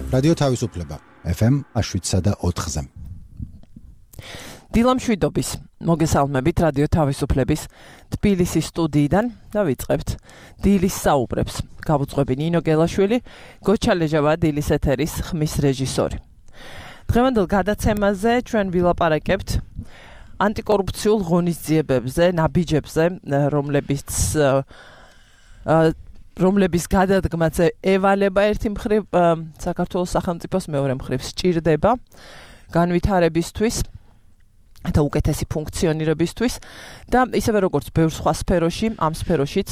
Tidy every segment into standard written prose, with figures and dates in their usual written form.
რადიო თავისუფლება FM 107.4-ზე. დილამშვიდობის მოგესალმებით რადიო თავისუფლების თბილისის სტუდიიდან და ვიწყებთ დილის საუბრებს. გავუძღვები ნინო გელაშვილი, გოჩა ლეჟავა დილის ეთერის ხმის რეჟისორი. დღევანდელ გადაცემაზე ჩვენ ვილაპარაკებთ ანტიკორუფციულ ღონისძიებებზე, ნაბიჯებზე, რომლების გადადგმაც ევალება ერთი მხრივ საქართველოს სახელმწიფოს, მეორე მხრივ სჭირდება განვითარებისთვის და უკეთესი ფუნქციონირებისთვის და ისევე როგორც ბევრ სხვა სფეროში, ამ სფეროშიც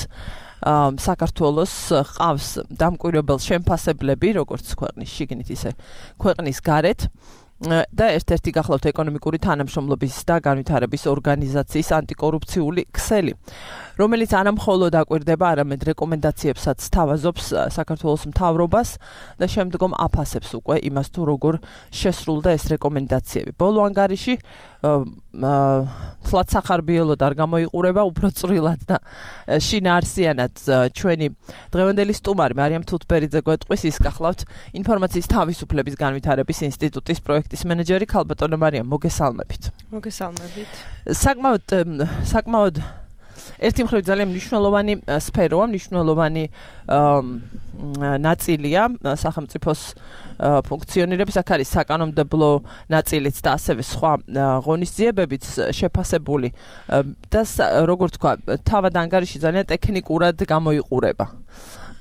საქართველოს ყავს დამკვირვებელ შემფასებლები, როგორც ქვეყნის შიგნით, ისე ქვეყნის გარეთ და ერთ-ერთი გახლავთ ეკონომიკური თანამშრომლობის და განვითარების ორგანიზაციის ანტიკორუფციული ქსელი, რომელიც არა მხოლოდ აკვირდება, არამედ რეკომენდაციებსაც თავაზობს საქართველოს მთავრობას და შემდგომ აფასებს უკვე იმას თუ როგორ შესრულდა ეს რეკომენდაციები. ბოლო ანგარიში თლად სახარბიელოდ არ გამოიყურება, უფრო წვრილად და შინაარსიანად ჩვენი დღევანდელი სტუმარი მარიამ თუთბერიძე გვეტყვის, ის გახლავთ ინფორმაციის თავისუფლების განვითარების ინსტიტუტის პროექტის მენეჯერი. ქალბატონო მარიამ, მოგესალმებით. მოგესალმებით. საკმაოდ ერთი მხრივ ძალიან მნიშვნელოვანი სფეროა, მნიშვნელოვანი ნაწილია სახელმწიფოს ფუნქციონირების, აქ არის საკანონმდებლო ნაწილიც და ასევე სხვა ღონისძიებებიც შეფასებული და როგორ თქვა, თავად ანგარიში ძალიან ტექნიკურად გამოიყურება.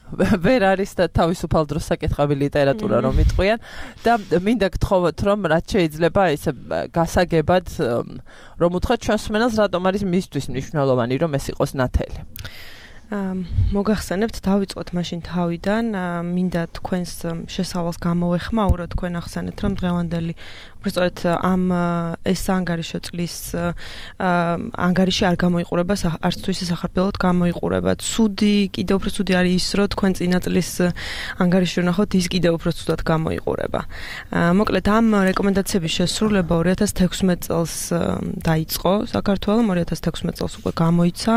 ვერ არის და თავისუფალ დროს საკითხავი ლიტერატურა რომ იტყვიან და მინდა გთხოვოთ რომ რაც შეიძლება ესე გასაგებად რომ უთხრათ ჩვენს მსმენელს რატომ არის მისთვის მნიშვნელოვანი რომ ეს იყოს ნათელი. მოგახსენებთ, დავიწყოთ მაშინ თავიდან, მინდა თქვენს შესავალს გამოვეხმაუროთ, თქვენ ახსენეთ რომ დღევანდელი უბრალოდ ამ ეს ანგარიშო წლის ანგარიში არ გამოიყურება, არც თუ ისე სახარბელოდ გამოიყურება. კიდევ უფრო ცუდი არის ის, რომ თქვენ წინა წლის ანგარიში ვნახოთ, ის კიდევ უფრო ცუდად გამოიყურება. მოკლედ ამ რეკომენდაციების შესრულება 2016 წელს დაიწყო საქართველოს, 2016 წელს უკვე გამოიცა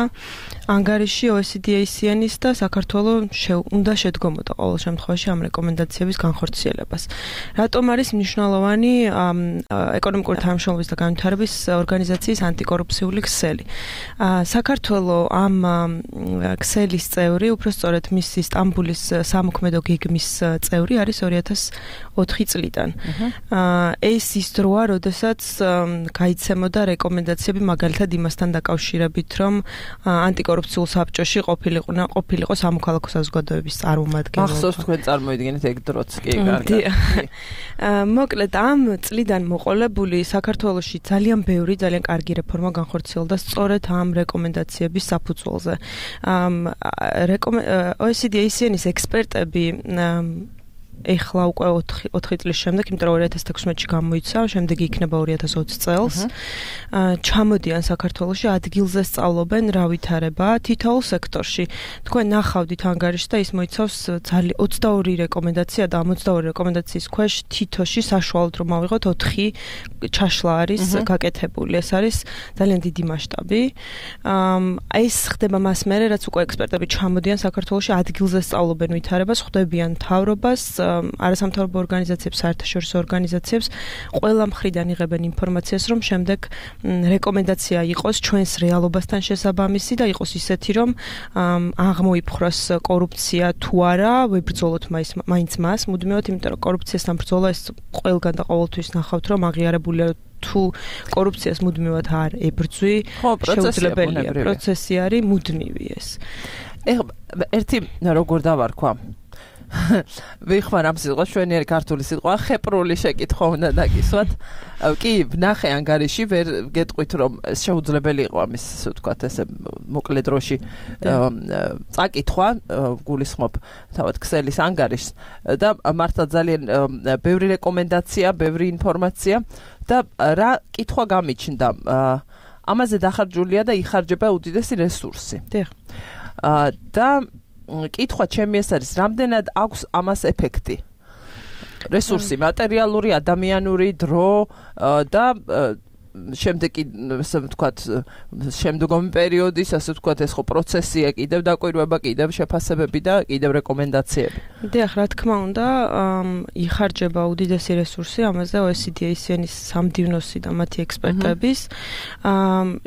ანგარიში OECD-ის და საქართველოს უნდა შედგომოდა ყოველ შემთხვევაში ამ რეკომენდაციების განხორციელებას. რატომ არის მნიშვნელოვანი ეკონომიკური თანამშრომლობის და განვითარების ორგანიზაციის ანტიკორუფციული ქსელი? საქართველოს ამ ქსელის წევრი, უბრალოდ მისი სტამბულის სამოქმედო გეგმის წევრი არის 2004 წლიდან. ეს ის დროა, როდესაც გაიცემოდა რეკომენდაციები მაგალითად იმასთან დაკავშირებით, რომ ანტიკორუფციულ საბჭოში ყოფილიყო სამოქალაქო საზოგადოების წარმომადგენლობა. ახსოვს თქვენ წარმოიდგინეთ ეგ დროც კი კარგად. მოკლედ ამ წლიდან მოყოლებული საქართველოში ძალიან ბევრი, ძალიან კარგი რეფორმა განხორციელდა სწორედ ამ რეკომენდაციების საფუძველზე. OECD-ის ექსპერტები ეხლა უკვე 4 წლის შემდეგ, იმიტომ რომ 2016-ში გამოიცა, შემდეგ იქნება 2020 წელს. ჩამოდიან საქართველოში, ადგილზე სწავლობენ რა ვითარება თითოეულ სექტორში. თქვენ ნახავდით ანგარიშს და ის მოიცავს 22 რეკომენდაცია და 22 რეკომენდაციის ქვეშ თითოში საშუალოდ რომ ავიღოთ 4 ჩაშლა არის გაკეთებული. ეს არის ძალიან დიდი მასშტაბი. ეს ხდება მას მერე, რაც უკვე ექსპერტები ჩამოდიან საქართველოში, ადგილზე სწავლობენ ვითარებას, ხვდებიან მთავრობას, არასამთავრობო ორგანიზაციებს, საერთაშორისო ორგანიზაციებს, ყველა მხრიდან იღებენ ინფორმაციას, რომ შემდეგ რეკომენდაცია იყოს ჩვენს რეალობასთან შესაბამისი და იყოს ისეთი, რომ აღმოიფხვრას კორუფცია თუ არა, ვებრძოლოთ მაინც მას, მუდმივად, იმიტომ რომ კორუფციასთან ბრძოლა ეს ყველგან და ყოველთვის ნახავთ, რომ აღიარებულია თუ კორუფციას მუდმივად არ ებრძვი, შეუძლებელია. პროცესი არის მუდმივი ეს. ერთი როგორ დავარქვა ვიხმარ ამ სიტყვას, შვენიერი ქართული სიტყვა, ხეპრული შეკითხვა უნდა დაგისვათ. კი, ვნახე ანგარიში, ვერ გეტყვით რომ შეუძლებელი იყო ამის, ასე ვთქვათ, ესე მოკლე დროში წაკითხვა, გულისხმობ თავად ქსელის ანგარიშს და მართლა ძალიან ბევრი რეკომენდაცია, ბევრი ინფორმაცია და რა კითხვა გამიჩნდა. ამაზე დახარჯულია და იხარჯება უდიდესი რესურსი. და კითხვა ჩემი ეს არის, რამდენად აქვს ამას ეფექტი? რესურსი, მატერიალური, ადამიანური, დრო და შემდეგი ასე ვთქვათ შემდგომი პერიოდის ასე ვთქვათ ეს ხო პროცესია კიდევ დაკვირვება, კიდევ შეფასებები და კიდევ რეკომენდაციები. დიახ, რა თქმა უნდა, იხარჯება უდიდესი რესურსი ამაზე OECD-ის სამდივნოსი და მათი ექსპერტების.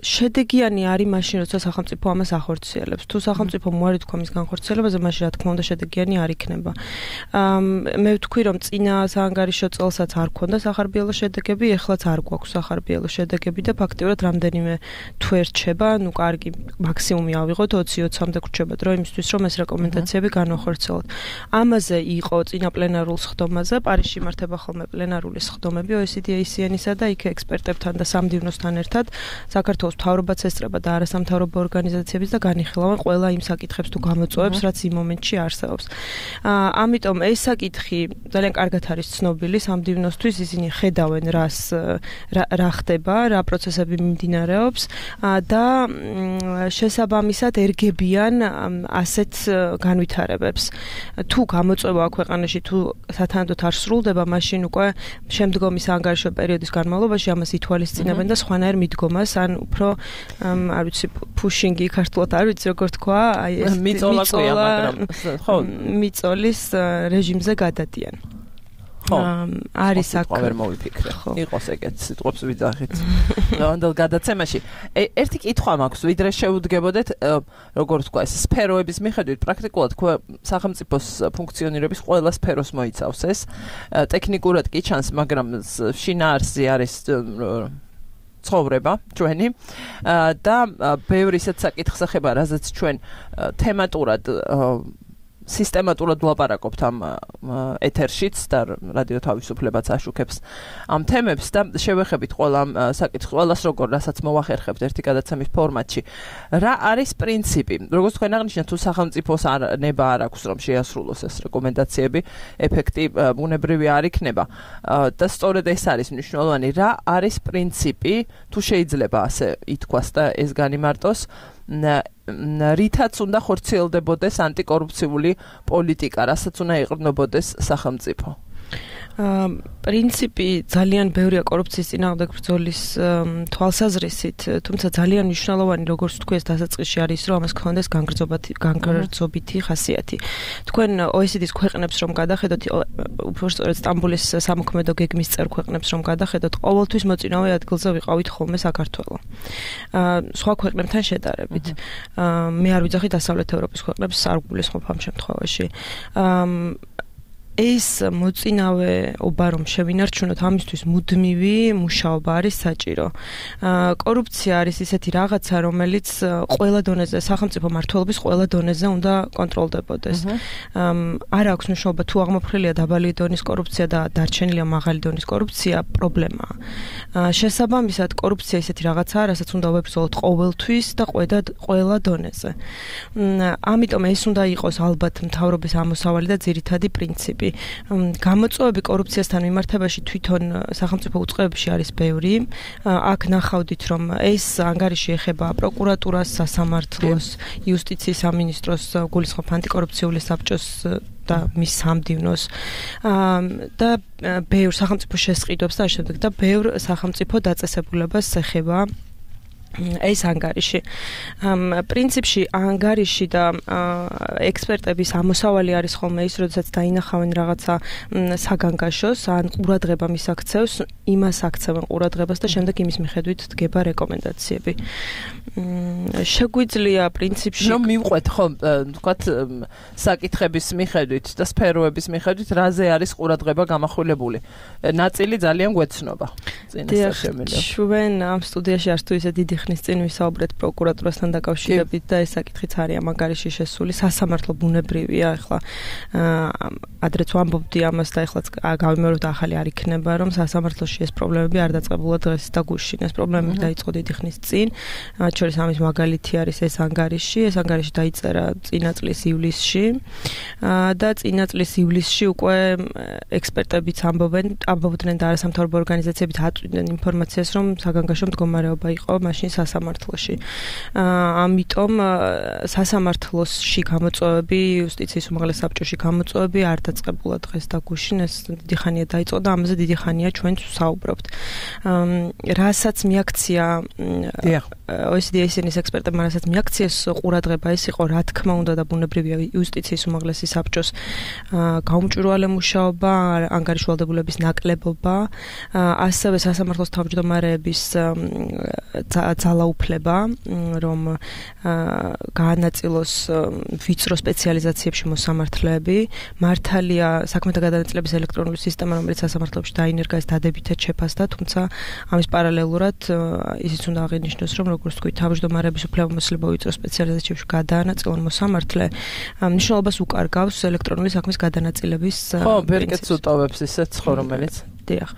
შედეგიანი არის მაშინ, როცა სახელმწიფო ამას ახორციელებს. თუ სახელმწიფო მოარი თქვა მის განხორციელებაზე, მაშინ რა თქმა უნდა შედეგიანი არ იქნება. მე ვთქვი, რომ წინა საანგარიშო წელსაც არ ქონდა სახარბიელო შედეგები, ეხლაც არ გვაქვს სახარბიელო შედეგები და ფაქტიურად რამდენიმე თუ ერჩება, ნუ კარგი, მაქსიმუმი ავიღოთ 20-20-მდე გრჩება დრო იმისთვის, რომ ეს რეკომენდაციები განვახორციელოთ. ამაზე იყო წინა პლენარულ სხდომაზე, პარიზში იმართება ხოლმე პლენარული სხდომები OECD-ASEAN-ისა და იქ ექსპერტებთან და სამდივნოსთან ერთად საქართველოს მთავრობაც ესწრება და არასამთავრობო ორგანიზაციებიც და განიხილავენ ყველა იმ საკითხებს თუ გამოწვევებს, რაც იმ მომენტში არსებობს. ამიტომ ეს საკითხი ძალიან კარგად არის ცნობილი სამდივნოსთვის, ისინი ხედავენ რა ხდება, რა პროცესები მიმდინარეობს და შესაბამისად ერგებიან ასეთ განვითარებებს. თუ გამოწვევა აქ ქვეყანაში თუ სათანადოდ არ სრულდება, მაშინ უკვე შემდგომი საანგარიშო პერიოდის განმავლობაში ამას ითვალისწინებენ და სხვანაირ მიდგომას, ან უფრო არ ვიცი pushing-ი ქართულად არ ვიცი როგორ თქვა, აი ეს მიწოლა, მაგრამ ხო, მიწოლის რეჟიმზე გადადიან. არის აქ ვერ მოვიფიქრე. იყოს ეგეთ სიტყვებს ვიძახით. ნამდვილ გადაცემაში. ერთი კითხვა მაქვს, ვიდრე შეუდგებოდეთ, როგორ თქვა, ეს სფეროების მიხედვით პრაქტიკულად სახელმწიფოს ფუნქციონირების ყველა სფეროს მოიცავს ეს. ტექნიკურად კი ჩანს, მაგრამ შინაარსი არის ცხოვრება ჩვენი და ბევრი ისეთ საკითხს ეხება, რაზეც ჩვენ თემატურად სისტემატურად ვლაპარაკობთ ამ ეთერშიც და რადიო თავისუფლებაც აშუქებს ამ თემებს და შევეხებით ყველა ამ საკითხს, ყველას როგორ რასაც მოვახერხებთ ერთი გადაცემის ფორმატში. რა არის პრინციპი? როგორც თქვენ აღნიშნეთ, თუ სახელმწიფოს ნება არ აქვს რომ შეასრულოს ეს რეკომენდაციები, ეფექტი ბუნებრივი არ იქნება. და სწორედ ეს არის მნიშვნელოვანი, რა არის პრინციპი, თუ შეიძლება ასე ითქვას და ეს განიმარტოს, რითაც უნდა ხორციელდებოდეს ანტიკორუფციული პოლიტიკა, რასაც უნდა ეყრდნობოდეს სახელმწიფო. პრინციპი ძალიან ბევრია კორუფციის წინააღმდეგ ბრძოლის თვალსაზრისით, თუმცა ძალიან მნიშვნელოვანი, როგორც თქვი, ეს დასაწყისში არის, რომ ამას ქონდეს განგრძობითი ხასიათი. თქვენ OECD-ის ქვეყნებს რომ გადახედოთ, უბრალოდ სტამბოლის სამოქმედო გეგმის წევრ ქვეყნებს რომ გადახედოთ, ყოველთვის მოწინავე ადგილზე ვიყავით ხოლმე საქართველო. სხვა ქვეყნებთან შედარებით. მე არ ვიძახი დასავლეთ ევროპის ქვეყნებს, არ გულისხმობ ამ შემთხვევაში. ეს მოწინავეობა რომ შევინარჩუნოთ, ამისთვის მუდმივი მუშაობა არის საჭირო. კორუფცია არის ისეთი რაღაცა, რომელიც ყველა დონეზე, სახელმწიფო მმართველობის ყველა დონეზე უნდა კონტროლდებოდეს. არ აქვს მნიშვნელობა თუ აღმოფხვრილია დაბალი დონის კორუფცია და დარჩენილია მაღალი დონის კორუფცია, პრობლემაა. შესაბამისად, კორუფცია ისეთი რაღაცაა, რასაც უნდა ვებრძოლოთ ყოველთვის და ყველა დონეზე. ამიტომ ეს უნდა იყოს ალბათ მთავრობის ამოსავალი და ძირითადი პრინციპი. გამოწვევები კორუფციასთან მიმართებაში თვითონ სახელმწიფო უწყებებში არის ბევრი. აქ ნახავდით, რომ ეს ანგარიში ეხება პროკურატურას, სასამართლოს, იუსტიციის სამინისტროს, გულისხმობ ანტიკორუფციული საბჭოს და მის სამდივნოს და ბევრ სახელმწიფო შესყიდვებს და შემდეგ და ბევრ სახელმწიფო დაწესებულებას ეხება ეს ანგარიში. პრინციპში ანგარიში და ექსპერტების ამოსავალი არის ხოლმე ის, როდესაც დაინახავენ რაღაცა საგანგაშოს, ან ყურადღება მისაქცევს, იმას აქცევენ ყურადღებას და შემდეგ იმის მიხედვით დგება რეკომენდაციები. შეგვიძლია პრინციპში რომ მივყვეთ ხო, თქვათ საკითხების მიხედვით და სფეროების მიხედვით, რაზე არის ყურადღება გამახვილებული. ნაწილი ძალიან გვეცნობა. ჩვენ ამ სტუდიაში არც თუ ისე დიდი ხნის წინ ვისაუბრეთ პროკურატურასთან დაკავშირებით და ეს საკითხიც არის ამ ანგარიში შესული. სასამართლო ბუნებრივია, ახლა ადრეც ვამბობდი ამას და ახლა გავიმეორებ და ახალი არ იქნება, რომ სასამართლოში ეს პრობლემები არ დაწყებულა დღეს და გუშინ. ეს პრობლემები დაიწყო დიდი ხნის წინ. მათ შორის ამის მაგალითი არის ეს ანგარიში. ეს ანგარიში დაიწერა წინა წლის ივლისში და წინა წლის ივლისში უკვე ექსპერტებიც ამბობდნენ და არასამთავრობო ორგანიზაციებიც აწვდიდნენ ინფორმაციას, რომ საგანგაშო მდგომარეობა იყო მაშინ სასამართლოში. ამიტომ სასამართლოსში გამოწვევები, იუსტიციის უმაღლეს საბჭოში გამოწვევები არ დაწყებულა დღეს და გუშინ ეს დიდი ხანია დაიწყო და ამაზე დიდი ხანია ჩვენ ვსაუბრობთ. რასაც მიაქცია OECD-ის ექსპერტებმა რასაც მიაქციეს ყურადღება ეს იყო რა თქმა უნდა და ბუნებრივია იუსტიციის უმაღლესი საბჭოს გაუმჭვირვალე მუშაობა, ანგარიშვალდებულების ნაკლებობა, ასევე სასამართლოს თავმჯდომარეების ძალაუფლება, რომ გაანაწილოს ვიწრო სპეციალიზაციებში მოსამართლეები, მართალია საქმეთა გადანაწილების ელექტრონული სისტემა, რომელიც სასამართლოებში დაინერგა, ეს დადებითად შეფასდა, თუმცა ამის პარალელურად ისიც უნდა აღინიშნოს, რომ როგორც თქვი, თავმჯდომარეების უფლებამოსილება ვიწრო სპეციალიზაციებში გადაანაწილონ მოსამართლე, მნიშვნელობას უკარგავს ელექტრონული საქმის გადანაწილების ბერკეტს უტოვებს ისეც ხო, რომელიც დიახ.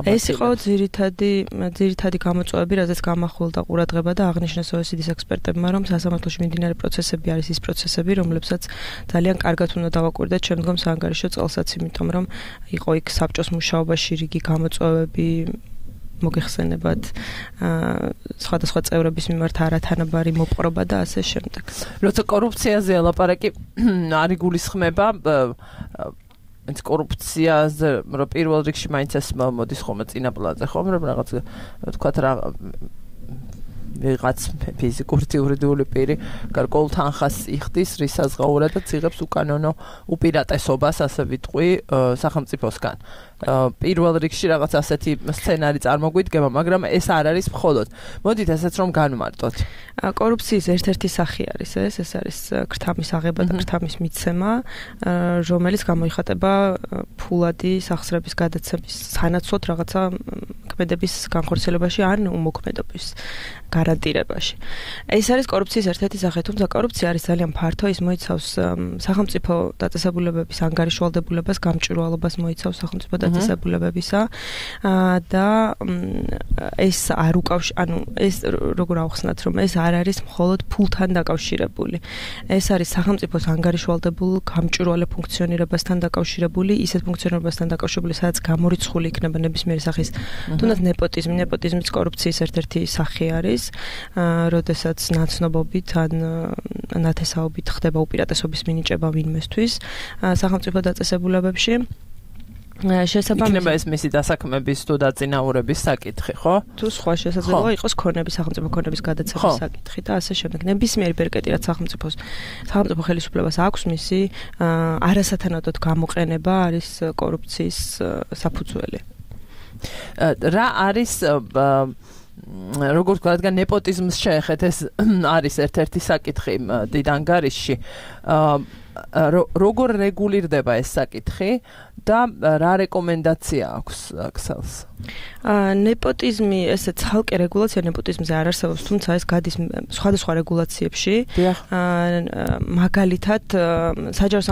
ეს იყო ძირითადი გამოწვევები, რაზეც გამახვილდა ყურადღება და აღნიშნეს OECD-ის ექსპერტებმა, რომ სასამართლოში მიმდინარე პროცესები არის ის პროცესები, რომლებსაც ძალიან კარგად უნდა დავაკვირდეთ შემდგომ საანგარიშო წელსაც, იმიტომ რომ იყო იქ საბჭოს მუშაობაში რიგი გამოწვევები მოგეხსენებათ სხვადასხვა წევრების მიმართ არათანაბარი მოპყრობა და ასე შემდეგ. როცა კორუფციაზე ლაპარაკი არ იგულისხმება ეს კორუფციაზე რომ პირველ რიგში მაინც ეს მოდის ხოლმე წინა პლანზე ხომ რომ რაღაც თქვათ რა ვიღაც ფიზიკური იურიდიული პირი გარკვეულ თანხას იხდის რისაზღაურად და ციღებს უკანონო უპირატესობას ასე ვიტყვი სახელმწიფოსგან. პირველ რიგში რაღაც ასეთი სცენარი წარმოგვიდგება, მაგრამ ეს არ არის მხოლოდ. მოდით ესეც რომ განვმარტოთ. კორუფციის ერთ-ერთი სახე არის ეს არის ქრთამის აღება და ქრთამის მიცემა, რომელიც გამოიხატება ფულადი სახსრების გადაცემის სანაცვლოდ რაღაცა ქმედების განხორციელებაში ან უმოქმედობის გარანტირებაში. ეს არის კორუფციის ერთ-ერთი სახე, თუმცა კორუფცია არის ძალიან ფართო, ის მოიცავს სახელმწიფო დაწესებულებების ანგარიშვალდებულებას, გამჭვირვალობას მოიცავს სახელმწიფო დაწესებულებებისა და ეს არ ანუ ეს როგორ ავხსნათ, რომ ეს არ არის მხოლოდ ფულთან დაკავშირებული. ეს არის სახელმწიფოს ანგარიშვალდებულ გამჭვირვალე ფუნქციონირებასთან დაკავშირებული, ისეთ ფუნქციონირებასთან დაკავშირებული, სადაც გამორიცხული იქნება ნებისმიერი სახის თუნდაც ნეპოტიზმიც კორუფციის ერთ-ერთი სახე არის, როდესაც ნაცნობობით ან ნათესაობით ხდება უპირატესობის მინიჭება ვინმესთვის სახელმწიფო დაწესებულებებში. იქნება ეს მისი დასაქმების თუ დაწინაურების საკითხი, ხო? თუ სხვა შესაძლოა იყოს სახელმწიფო ქონების გადაცემის საკითხი და ასე შემდეგ. ნებისმიერი ბერკეტი რაც სახელმწიფო ხელისუფლებას აქვს, მისი არასათანადოდ გამოყენება არის კორუფციის საფუძველი. რა არის როგორც ვთქვათ, ნეპოტიზმს შეეხეთ, ეს არის ერთ-ერთი საკითხი დიდ ანგარიშში. როგორ რეგულირდება ეს საკითხი და რა რეკომენდაცია აქვს ქსელს? ნეპოტიზმი, ესე ცალკე რეგულაცია ნეპოტიზმზე არ არსებობს, თუმცა ეს გადის სხვადასხვა რეგულაციებში. მაგალითად, საჯარო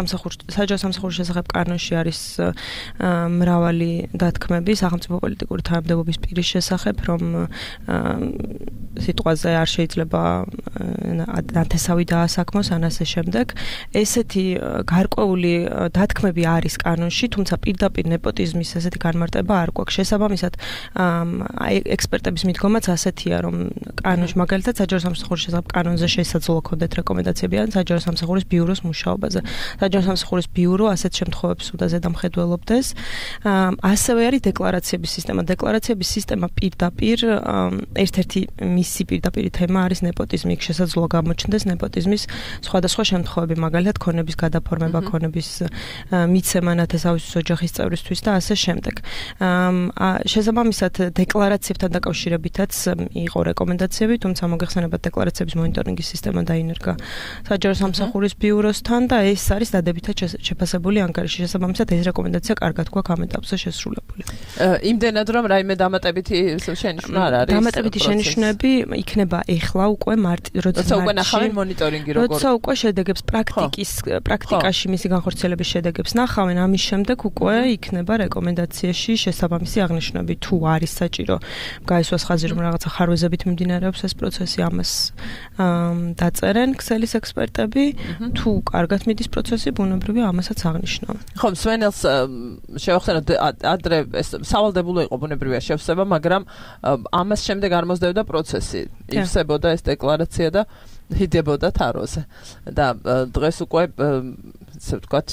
სამსახურის შესახებ კანონში არის მრავალი დათქმები სახელმწიფო პოლიტიკური თანამდებობის პირის შესახებ, რომ სიტყვაზე არ შეიძლება ნათესავი დაასაქმოს ან ასე შემდეგ. ესეთი გარკვეული დათქმები არის კანონში, თუმცა პირდაპირ ნეპოტიზმის ესეთი განმარტება არ გვაქვს. შესაბამისად, ექსპერტების მიდგომაც ასეთია, რომ კანონში მაგალითად საჯარო სამსახურის შესახებ კანონზე შესაძლოა ქონდეთ რეკომენდაციები ან საჯარო სამსახურის ბიუროს მუშაობაზე. საჯარო სამსახურის ბიურო ასეთ შემთხვევებს უნდა ზედამხედველობდეს. ასევე არის დეკლარაციების სისტემა. დეკლარაციების სისტემა პირდაპირ ერთ-ერთი მისი პირდაპირი თემა არის ნეპოტიზმი. იქ შესაძლოა გამოჩნდეს ნეპოტიზმის სხვადასხვა შემთხვევები, მაგალითად ქონების გადაფორმება, ქონების მიცემა ნათესავის ოჯახის წევრისთვის და ასე შემდეგ. შესაბამისად, დეკლარაციებთან დაკავშირებითაც იყო რეკომენდაციები, თუმცა მოგეხსენებათ დეკლარაციების მონიტორინგის სისტემა დაინერგა საჯარო სამსახურის ბიუროსთან და ეს არის დადებითად შეფასებული ანგარიში. შესაბამისად, ეს რეკომენდაცია კარგად გვაქვს ამ ეტაპზე შესრულებული. იმდენად რომ რაიმე დამატებითი შენიშვნა არ არის. დამატებითი შენიშვნები იქნება ეხლა უკვე როცა უკვე ნახავენ მონიტორინგი როგორ. როცა უკვე შედეგებს პრაქტიკაში მისი განხორციელების შედეგებს ნახავენ, ამის შემდეგ უკვე იქნება რეკომენდაციაში შესაბამისი აღნიშნები, თუ არის საჭირო გაისვას ხაზი, რომ რაღაცა ხარვეზებით მიმდინარეობს ეს პროცესი, ამას დაწერენ ქსელის ექსპერტები, თუ კარგად მიდის პროცესი, ბუნებრივია ამასაც აღნიშნავენ. ხო, სვენელს შევახსენოთ ადრე ეს სავალდებულო იყო ბუნებრივია შევსება, მაგრამ ამას შემდეგ არ მოსდევდა პროცესი. ივსებოდა ეს დეკლარაცია და ჰიდებოდა თაროზე. და დღეს უკვე ესე ვთქვათ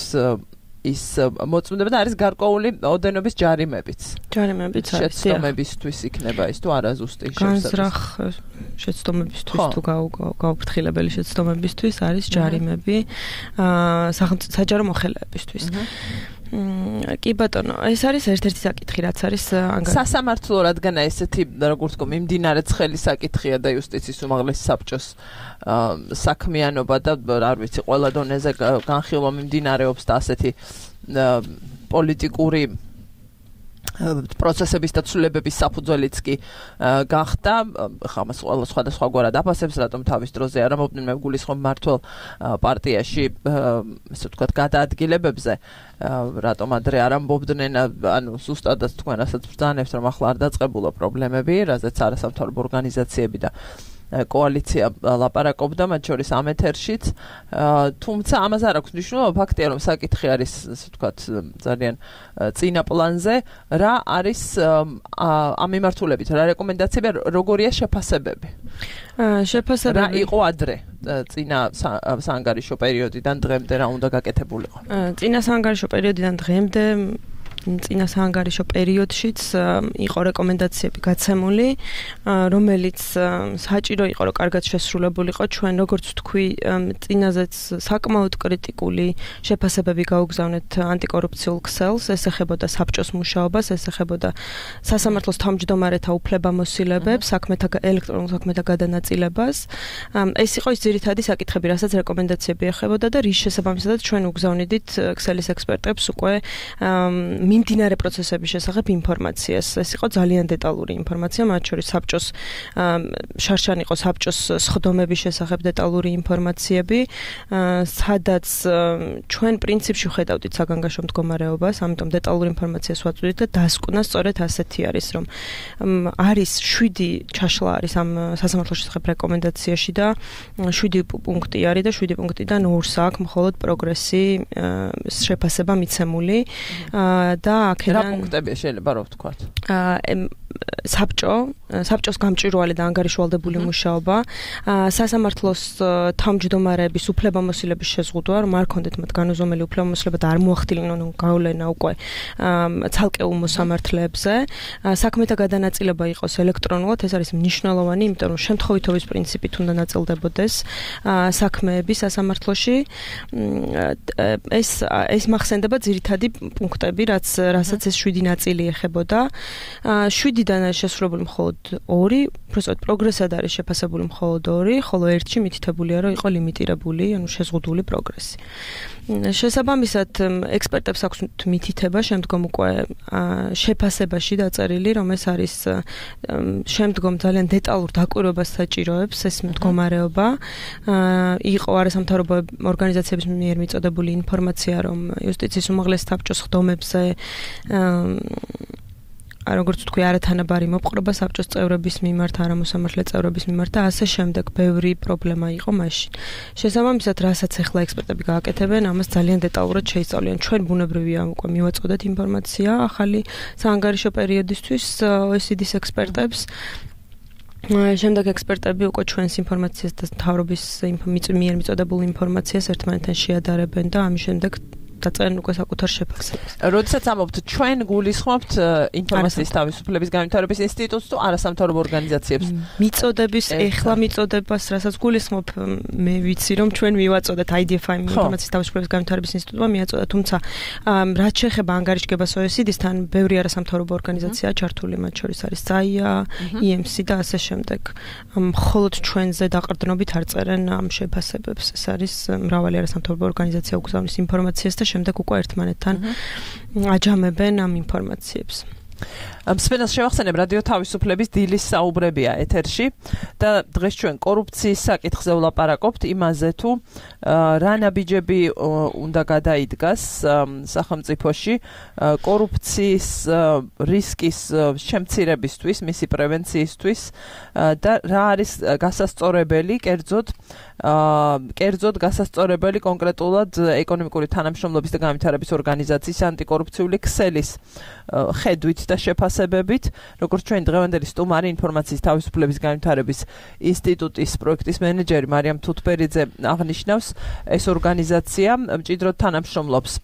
ის მოწმდება და არის გარკვეული ოდენობის ჯარიმებიც. ჯარიმებიც არის. შეცდომებისთვის იქნება ის თუ არა ზუსტი განზრახ შეცდომებისთვის თუ გაუფრთხილებელი შეცდომებისთვის არის ჯარიმები საჯარო მოხელეებისთვის. კი ბატონო, ეს არის ერთ-ერთი საკითხი, რაც არის სასამართლო, რადგან ესეთი, როგორც ვთქვი, მიმდინარე ცხელი საკითხია და იუსტიციის უმაღლესი საბჭოს საქმიანობა და არ ვიცი, ყველა დონეზე განხილვა მიმდინარეობს და ასეთი პოლიტიკური პროცესების და ცვლილებების საფუძველიც კი გახდა. ხა მას ყველა სხვადასხვაგვარად აფასებს, რატომ თავის დროზე არ ამობდნენ, მე გულისხმობ მართლ პარტიაში, ესე ვთქვათ, გადაადგილებებზე, რატომ ადრე არ ამბობდნენ, ანუ ზუსტადაც თქვენ რასაც ბრძანებთ, რომ ახლა არ დაწყებულა პრობლემები, რაზეც არასამთავრობო ორგანიზაციები და კოალიცია ლაპარაკობდა, მათ შორის ამ ეთერშიც, თუმცა ამას არ აქვს მნიშვნელობა, ფაქტია, რომ საკითხი არის, ასე ვთქვათ, ძალიან წინა პლანზე, რა არის ამ მიმართულებით, რა რეკომენდაციები, როგორია შეფასებები? შეფასებები რა იყო ადრე წინა საანგარიშო პერიოდიდან დღემდე რა უნდა გაკეთებულიყო? წინა საანგარიშო პერიოდიდან დღემდე წინა საანგარიშო პერიოდშიც იყო რეკომენდაციები გაცემული, რომელიც საჭირო იყო, რომ კარგად შესრულებულიყო. ჩვენ როგორც ვთქვი, წინაზეც საკმაოდ კრიტიკული შეფასებები გაუგზავნეთ ანტიკორუფციულ ქსელს, ეს ეხებოდა საბჭოს მუშაობას, ეს ეხებოდა სასამართლოს თავმჯდომარეთა უფლებამოსილებებს, ელექტრონულ საქმეთა გადანაწილებას. ეს იყო ის ძირითადი საკითხები, რასაც რეკომენდაციები ეხებოდა და რის შესაბამისად ჩვენ უგზავნიდით ქსელის ექსპერტებს უკვე მიმდინარე პროცესების შესახებ ინფორმაციას. ეს იყო ძალიან დეტალური ინფორმაცია, მათ შორის საბჭოს შარშან იყო საბჭოს სხდომების შესახებ დეტალური ინფორმაციები, სადაც ჩვენ პრინციპში ხედავდით საგანგაშო მდგომარეობას, ამიტომ დეტალურ ინფორმაციას ვაწვდით და დასკვნა სწორედ ასეთი არის, რომ არის 7 ჩაშლა არის ამ სასამართლოს შესახებ რეკომენდაციაში და 7 პუნქტი არის და 7 პუნქტიდან 2-ს აქვს მხოლოდ პროგრესი შეფასება მიცემული. და აქედან რა პუნქტებია შეიძლება რომ ვთქვათ? საბჭოს გამჭვირვალე და ანგარიშვალდებული მუშაობა, სასამართლოს თავმჯდომარეების უფლებამოსილების შეზღუდვა, რომ არ ქონდეთ მათ განუზომელი უფლებამოსილება და არ მოახდინონ გავლენა უკვე ცალკეულ მოსამართლეებზე, საქმეთა გადანაწილება იყოს ელექტრონულად, ეს არის მნიშვნელოვანი, იმიტომ რომ შემთხვევითობის პრინციპით უნდა ნაწილდებოდეს საქმეები სასამართლოში. ეს მახსენდება ძირითადი პუნქტები, რასაც ეს 7 ნაწილი ეხებოდა. 7-დან არის შესრულებული მხოლოდ 2, უბრალოდ პროგრესად არის შეფასებული მხოლოდ 2, ხოლო 1-ში მითითებულია, რომ იყო ლიმიტირებული, ანუ შეზღუდული პროგრესი. შესაბამისად, ექსპერტებს აქვს მითითება შემდგომ უკვე შეფასებაში დაწერილი, რომ ეს არის შემდგომ ძალიან დეტალურ დაკვირვებას საჭიროებს ეს მდგომარეობა. იყო არასამთავრობო ორგანიზაციების მიერ მიწოდებული ინფორმაცია, რომ იუსტიციის უმაღლესი საბჭოს სხდომებზე როგორც ვთქვი, არათანაბარი მოპყრობა საბჭოს წევრების მიმართ, არამოსამართლე წევრების მიმართ და ასე შემდეგ ბევრი პრობლემა იყო მაშინ. შესაბამისად, რასაც ახლა ექსპერტები გააკეთებენ, ამას ძალიან დეტალურად შეისწავლიან. ჩვენ ბუნებრივია უკვე მივაწოდეთ ინფორმაცია ახალი საანგარიშო პერიოდისთვის OECD-ის ექსპერტებს. შემდეგ ექსპერტები უკვე ჩვენს ინფორმაციას და მთავრობის მიერ მიწოდებულ ინფორმაციას ერთმანეთთან შეადარებენ და ამის შემდეგ დაწერენ უკვე საკუთარ შეფასებას. როდესაც ამობთ, ჩვენ გულისხმობთ ინფორმაციის თავისუფლების განვითარების ინსტიტუტს თუ არასამთავრობო ორგანიზაციებს? მიწოდების, ეხლა მიწოდებას, რასაც გულისხმობ, მე ვიცი, რომ ჩვენ მივაწოდეთ IDFI ინფორმაციის თავისუფლების განვითარების ინსტიტუტმა მიაწოდა, თუმცა რაც შეეხება ანგარიშგებას OECD-სთან, ბევრი არასამთავრობო ორგანიზაციაა ჩართული, მათ შორის არის SAIA, EMC და ასე შემდეგ. მხოლოდ ჩვენზე დაყრდნობით არ წერენ ამ შეფასებებს. ეს არის მრავალი არასამთავრობო ორგანიზაცია უგზავნის ინფორმაციას და შემდეგ უკვე ერთმანეთთან აჯამებენ ამ ინფორმაციებს. მსმენელს შევახსენებ, რადიო თავისუფლების დილის საუბრებია ეთერში და დღეს ჩვენ კორუფციის საკითხზე ვლაპარაკობთ, იმაზე თუ რა ნაბიჯები უნდა გადაიდგას სახელმწიფოში კორუფციის რისკის შემცირებისთვის, მისი პრევენციისთვის და რა არის გასასწორებელი, კერძოდ გასასწორებელი კონკრეტულად ეკონომიკური თანამშრომლობის და განვითარების ორგანიზაციის ანტიკორუფციული ქსელის ხედვით და შეფასებით შეფასებებით, როგორც ჩვენ დღევანდელი სტუმარი ინფორმაციის თავისუფლების განვითარების ინსტიტუტის პროექტის მენეჯერი მარიამ თუთბერიძე აღნიშნავს, ეს ორგანიზაცია მჭიდროდ თანამშრომლობს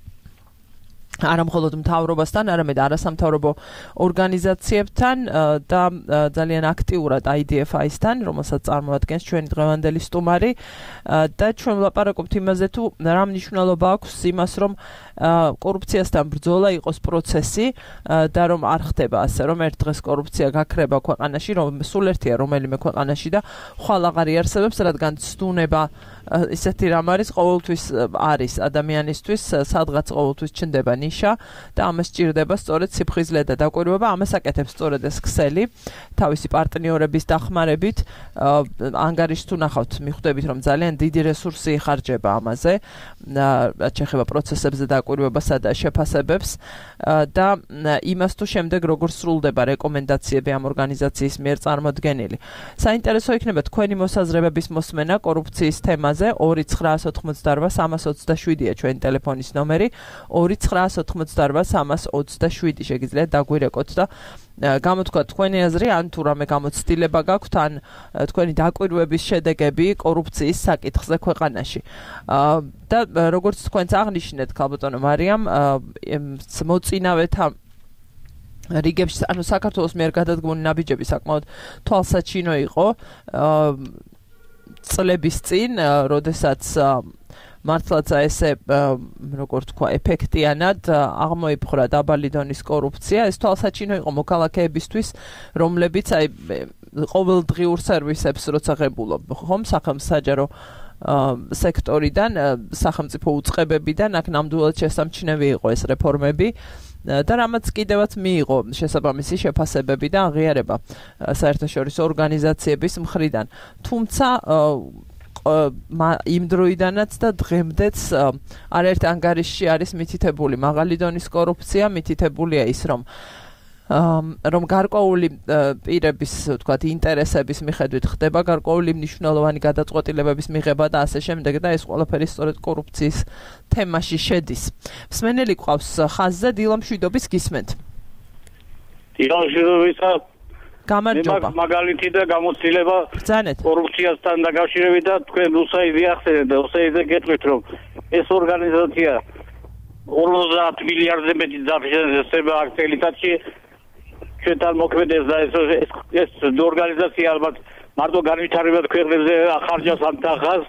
არა მხოლოდ მთავრობასთან, არამედ არასამთავრობო ორგანიზაციებთან და ძალიან აქტიურად IDFI-სთან, რომელსაც წარმოადგენს ჩვენი დღევანდელი სტუმარი და ჩვენ ვლაპარაკობთ იმაზე, თუ რა მნიშვნელობა აქვს იმას, რომ კორუფციასთან ბრძოლა იყოს პროცესი და რომ არ ხდება ასე, რომ ერთ დღეს კორუფცია გაქრება ქვეყანაში, რომ სულ ერთია რომელიმე ქვეყანაში და ხვალ აღარ იარსებებს, რადგან ცდუნება ისეთი რამ არის, ყოველთვის არის ადამიანისთვის, სადღაც ყოველთვის ჩნდება ნიშა და ამას სჭირდება სწორედ სიფხიზლე და დაკვირვება, ამას აკეთებს სწორედ ეს ქსელი, თავისი პარტნიორების დახმარებით, ანგარიშს თუ ნახავთ, მიხვდებით, რომ ძალიან დიდი რესურსი იხარჯება ამაზე, რაც შეეხება პროცესებზე დაკვირვებასა და შეფასებებს და იმას თუ შემდეგ როგორ სრულდება რეკომენდაციები ამ ორგანიზაციის მიერ წარმოდგენილი. საინტერესო იქნება თქვენი მოსაზრებების მოსმენა კორუფციის თემაზე 2988-327-ია ჩვენი ტელეფონის ნომერი 2988-327 შეგიძლიათ დაგვირეკოთ და გამოთქვათ თქვენი აზრი ან თუ რამე გამოცდილება გაქვთ ან თქვენი დაკვირვების შედეგები კორუფციის საკითხზე ქვეყანაში და როგორც თქვენც აღნიშნეთ ქალბატონო მარიამ მოწინავეთა რიგებში ანუ საქართველოს მიერ გადადგმული ნაბიჯები საკმაოდ თვალსაჩინო იყო წლების წინ, როდესაც მართლაც ესე როგორ თქვა ეფექტიანად აღმოიფხვრა დაბალი დონის კორუფცია, ეს თვალსაჩინო იყო მოქალაქეებისთვის, რომლებიც აი ყოველდღიურ სერვისებს როცა ღებულობ ხომ სახელმსაჯარო სექტორიდან, სახელმწიფო უწყებებიდან, აქ ნამდვილად შესამჩნევი იყო ეს რეფორმები. და რამაც კიდევაც მიიღო შესაბამისი შეფასებები და აღიარება საერთაშორისო ორგანიზაციების მხრიდან. თუმცა იმ დროიდანაც და დღემდეც არაერთ ანგარიშში არის მითითებული მაღალი დონის კორუფცია, მითითებულია ის, რომ გარკვეული პირების, ვთქვათ, ინტერესების მიხედვით ხდება გარკვეული მნიშვნელოვანი გადაწყვეტილებების მიღება და ასე შემდეგ და ეს ყველაფერი სწორედ კორუფციის თემაში შედის. მსმენელი გვყავს ხაზზე დილა მშვიდობის გისმენთ. დილა მშვიდობისა. გამარჯობა. მაგალითი და გამოცდილება კორუფციასთან დაკავშირებით და თქვენ უსაიძე ახსენეთ და უსაიძე გეტყვით, რომ ეს ორგანიზაცია 50 მილიარდზე მეტი დაფინანსება აქ წელიწადში ჩვენთან მოქმედებს და ეს ორგანიზაცია ალბათ მარტო განვითარებად ქვეყნებზე ახარჯავს ამ თანხას.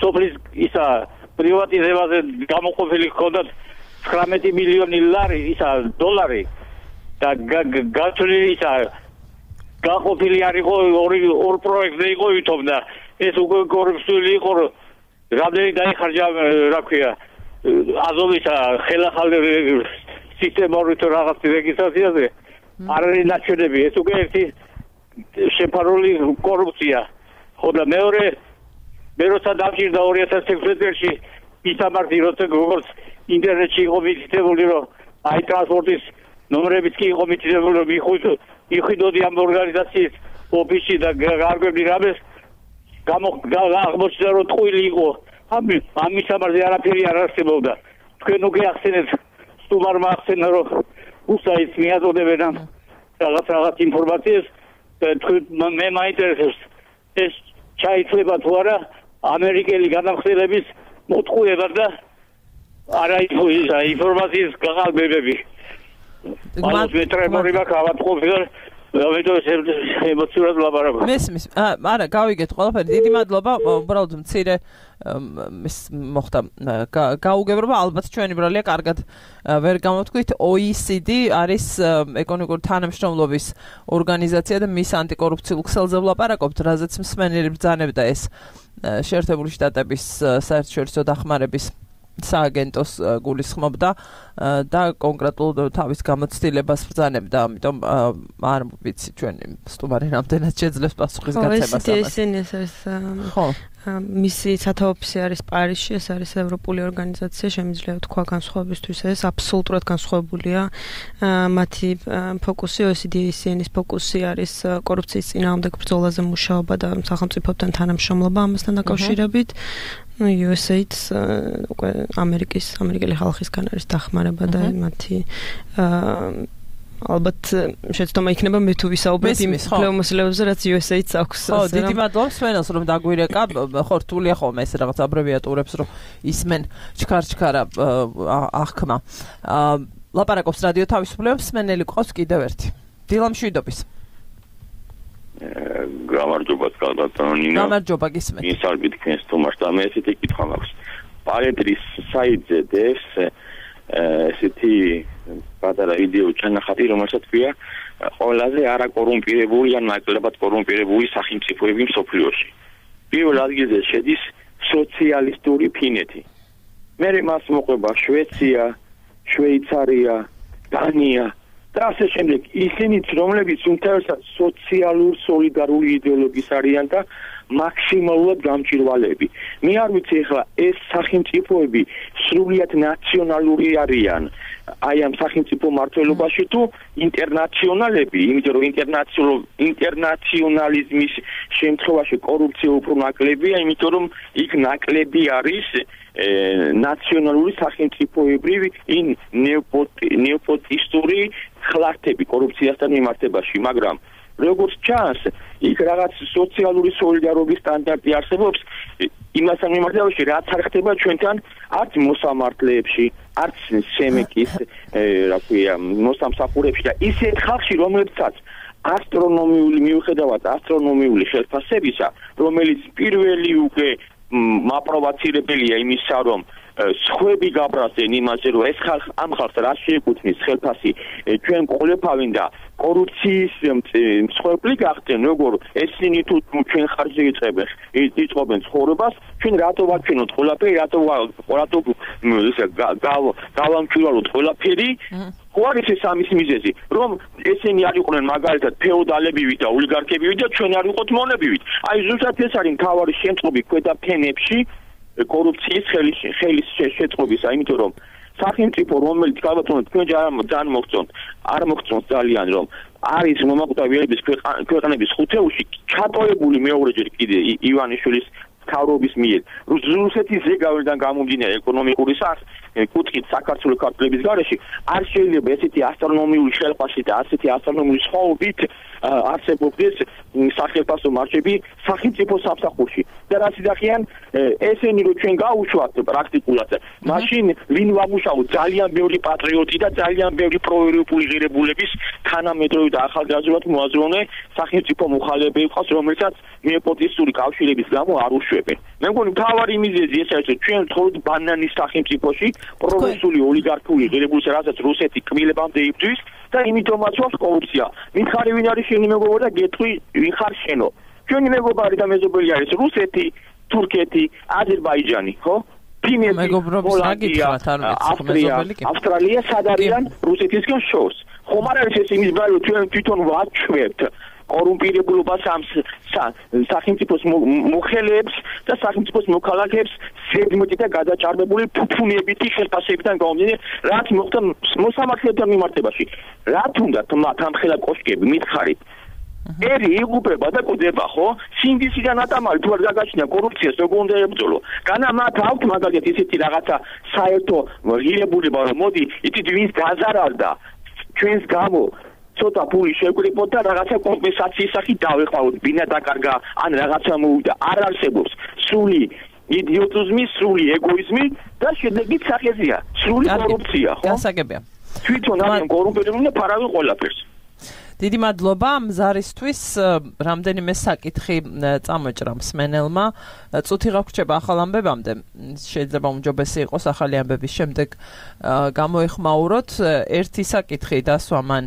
სოფლის ისა პრივატიზებაზე გამოყოფილი ჰქონდათ 19 მილიონი ლარი ისა დოლარი და გაწოლილი ისა გაყოფილი არ იყო ორ პროექტზე იყო ვითომ და ეს უკვე კორუფციული იყო რამდენი დაიხარჯა რა ქვია აზოვისა ხელახალი სისტემური თუ რაღაც რეგისტრაციაზე არ არის ნაჩვენები ეს უკვე ერთი შეფარული კორუფცია ხო და მეორე მე როცა დავჭირდა 2016 წელს ისამართი როცა როგორც ინტერნეტში იყო მითითებული რომ აი ტრანსპორტის ნომრებიც კი იყო მითითებული რომ მიხვიდოდი ამ ორგანიზაციის ოფისში და გარკვევდი რამეს აღმოჩნდა რომ ტყუილი იყო ამ ისამართი არაფერი არ არსებობდა თქვენ უკვე ახსენეთ სტუმარმა ახსენა რომ უსაიც მიაწოდებენ ამ რაღაც ინფორმაციას მე მაინტერესებს ეს ჩაითვლება თუ არა ამერიკელი განახსენების მოტყუება და არა ინფორმაციის გაყალბებები მას მეტრემორი მაქავატყოფილ ემოციურად ლაპარაკობ. მესმის. არა, გავიგეთ ყველაფერი. დიდი მადლობა. უბრალოდ მცირე მოხდა გაუგებრობა. ალბათ ჩვენი ბრალია კარგად ვერ გამოთქვით. OECD არის ეკონომიკური თანამშრომლობის ორგანიზაცია და მის ანტიკორუფციულ ქსელზე ვლაპარაკობთ, რაზეც მსმენელი ბრძანებდა ეს შეერთებული შტატების საერთაშორისო დახმარების სააგენტოს გულისხმობდა და კონკრეტულ თავის გამოცდილებას ბრძანებდა, ამიტომ არ ვიცი ჩვენი სტუმარი რამდენად შეძლებს პასუხის გაცემას ამას. ხო, მისი სათავეში არის პარიზში, ეს არის ევროპული ორგანიზაცია, შემიძლია თქვა განსხვავებისთვის ეს აბსოლუტურად განსხვავებულია. მათი ფოკუსი OECD-ის ფოკუსი არის კორუფციის წინააღმდეგ ბრძოლაზე მუშაობა და სახელმწიფოებთან თანამშრომლობა ამასთან დაკავშირებით. USAID-ს უკვე ამერიკელი ხალხისგან არის დახმარება და მათი ალბათ შეცდომა იქნება მე თუ ვისაუბრებ იმ ფლეომოსილებზე, რაც USA-ც აქვს. ხო, დიდი მადლობა სვენელს, რომ დაგვირეკა. ხო, რთულია ხოლმე ეს რაღაც აბრევიატურებს, რომ ისმენ ჩქარ-ჩქარა აღქმა. ლაპარაკობს რადიო თავისუფლებას, სმენელი ყავს კიდევ ერთი. დილა მშვიდობის. გამარჯობა კალბატონინა. გამარჯობა გისმენთ. მისალმით თქვენს თომას და მე ესეთი კითხვა მაქვს. პარენტრის საიტზე დევს ესეთი პატარა ვიდეო ჩანახატი, რომელსაც ქვია ყველაზე არაკორუმპირებული ან ნაკლებად კორუმპირებული სახელმწიფოები მსოფლიოში. პირველ ადგილზე შედის სოციალისტური ფინეთი. მერე მას მოყვება შვეცია, შვეიცარია, დანია და ასე შემდეგ. ისინიც, რომლებიც უმთავრესად სოციალურ სოლიდარული იდეოლოგიის არიან და მაქსიმალურად გამჭირვალეები. მე არ ვიცი ახლა ეს სახელმწიფოები სრულიად ნაციონალური არიან. აი ამ სახელმწიფო მართლობაში თუ ინტერნაციონალები, იმიტომ რომ ინტერნაციონალიზმის შემთხვევაში კორუფცია უფრო ნაკლებია, იმიტომ რომ იქ ნაკლები არის ნაციონალური სახელმწიფოებრივი ნეოპოტისტური ხლართები კორუფციასთან მიმართებაში, მაგრამ როგორც ჩანს, იქ რაღაც სოციალური სოლიდარობის სტანდარტი არსებობს იმასთან მიმართებაში, რაც არ ხდება ჩვენთან არც მოსამართლეებში, არც სემეკის, რა ქვია, მოსამსახურებში და ისეთ ხალხში, რომლებსაც მიუხედავად ასტრონომიული ხელფასებისა, რომელიც პირველი უკვე მაპროვოცირებელია იმისა, რომ სხვები გაბრაზენ იმაზე, რომ ეს ამ ხალხს რა შეეკუთვნის ხელფასი, ჩვენ ყოლეფავენ და კორუფციის მსხვერპლი გახდნენ, როგორ ესენი თუ ჩვენ ხარჯზე იწყობენ ცხოვრებას, ჩვენ რატო ვაჩვენოთ ყველაფერი, რატო გავამჩვილოთ ყველაფერი, ხო არის ეს ამის მიზეზი, რომ ესენი არ იყვნენ მაგალითად ფეოდალებივით და ოლიგარქებივით და ჩვენ არ ვიყოთ მონებივით. აი ზუსტად ეს არის მთავარი შემწყობი ქვედა ფენებში კორუფციის ხელის შეწყობისა, იმიტომ რომ სახელმწიფო რომელიც ალბათ თქვენ ძალიან მოგწონთ, არ მოგწონთ ძალიან რომ არის მომაკვდავიანების ქვეყნების ხუთეულში ჩატოებული მეორეჯერ კიდე ივანიშვილის მთავრობის მიერ რუსეთის ზეგავლიდან გამომდინარე ეკონომიკური კუთხით საქართველოს ქართლების გარეშე არ შეიძლება ესეთი ასტრონომიული ხელფასი და ასეთი ასტრონომიული სხვაობით არსებობდეს სახელმწიფო მარშები სახელმწიფო სამსახურში და რაც იდახიან ესენი რომ ჩვენ გაუშვათ პრაქტიკულად მაშინ ვინ ვამუშავოთ ძალიან ბევრი პატრიოტი და ძალიან ბევრი პროევროპული ღირებულების თანამედროვე და ახალგაზრდულად მოაზროვნე სახელმწიფო მოხალეები ყავს რომელსაც ნეოპოტისტური კავშირების გამო არ უშვებენ. მე მგონი მთავარი მიზეზი ეს არის რომ ჩვენ ვთხოვთ ბანანის სახელმწიფოში პროგრესული ოლიგარქიული ღირებულს რასაც რუსეთი კმილებამდე იბრძვის და იმიტომაც ვაქვს კორუფცია. მითხარი ვინ არის შენი მეგობარი და გეტყვი ვინ ხარ შენო. ჩვენი მეგობარი და მეზობელი არის რუსეთი, თურქეთი, აზერბაიჯანი, ხო? ავსტრალია სად არიან რუსეთისგან შორს. ხომ არ არის ეს იმის ბარი ჩვენ თვითონ ვაჩვევთ კორუმპირებულობას ამ სახელმწიფოს მოხელეებს და სახელმწიფოს მოქალაქეებს ზედმეტი და გადაჭარბებული ფუფუნებითი ხელფასებიდან გამომდინარე, რაც მოხდა მოსამართლეებთან მიმართებაში. რა თუნდაც მათ ამ ხელა კოშკები მითხარით ერი იღუპება და კვდება, ხო? სინდისიდან ატამალი თუ არ გაგაჩნია კორუფციას როგორ უნდა ებრძოლო? განა მათ აქვთ მაგალითად ისეთი რაღაცა საერთო ღირებულება, რომ მოდი იცით ვინც გაზარალდა ჩვენს გამო ცოტა ფული შეგვიყოთ და რაღაცა კომპენსაციის სახით დავეყავოთ, ბინა დაკარგა, ან რაღაცა მოვიდა. არ არსებობს სრული იდიოტიზმი, სრული ეგოიზმი და შედეგით სახეზია, სრული კორუფცია, ხო? გასაგებია. თვითონ არიან კორუმპირებული და ფარავენ ყველაფერს. დიდი მადლობა მზარისთვის რამდენიმე საკითხი წამოჭრა მსმენელმა წუთი გაგვრჩება ახალ ამბებამდე შეიძლება უმჯობესი იყოს ახალი ამბების შემდეგ გამოეხმაუროთ ერთი საკითხი დასვამან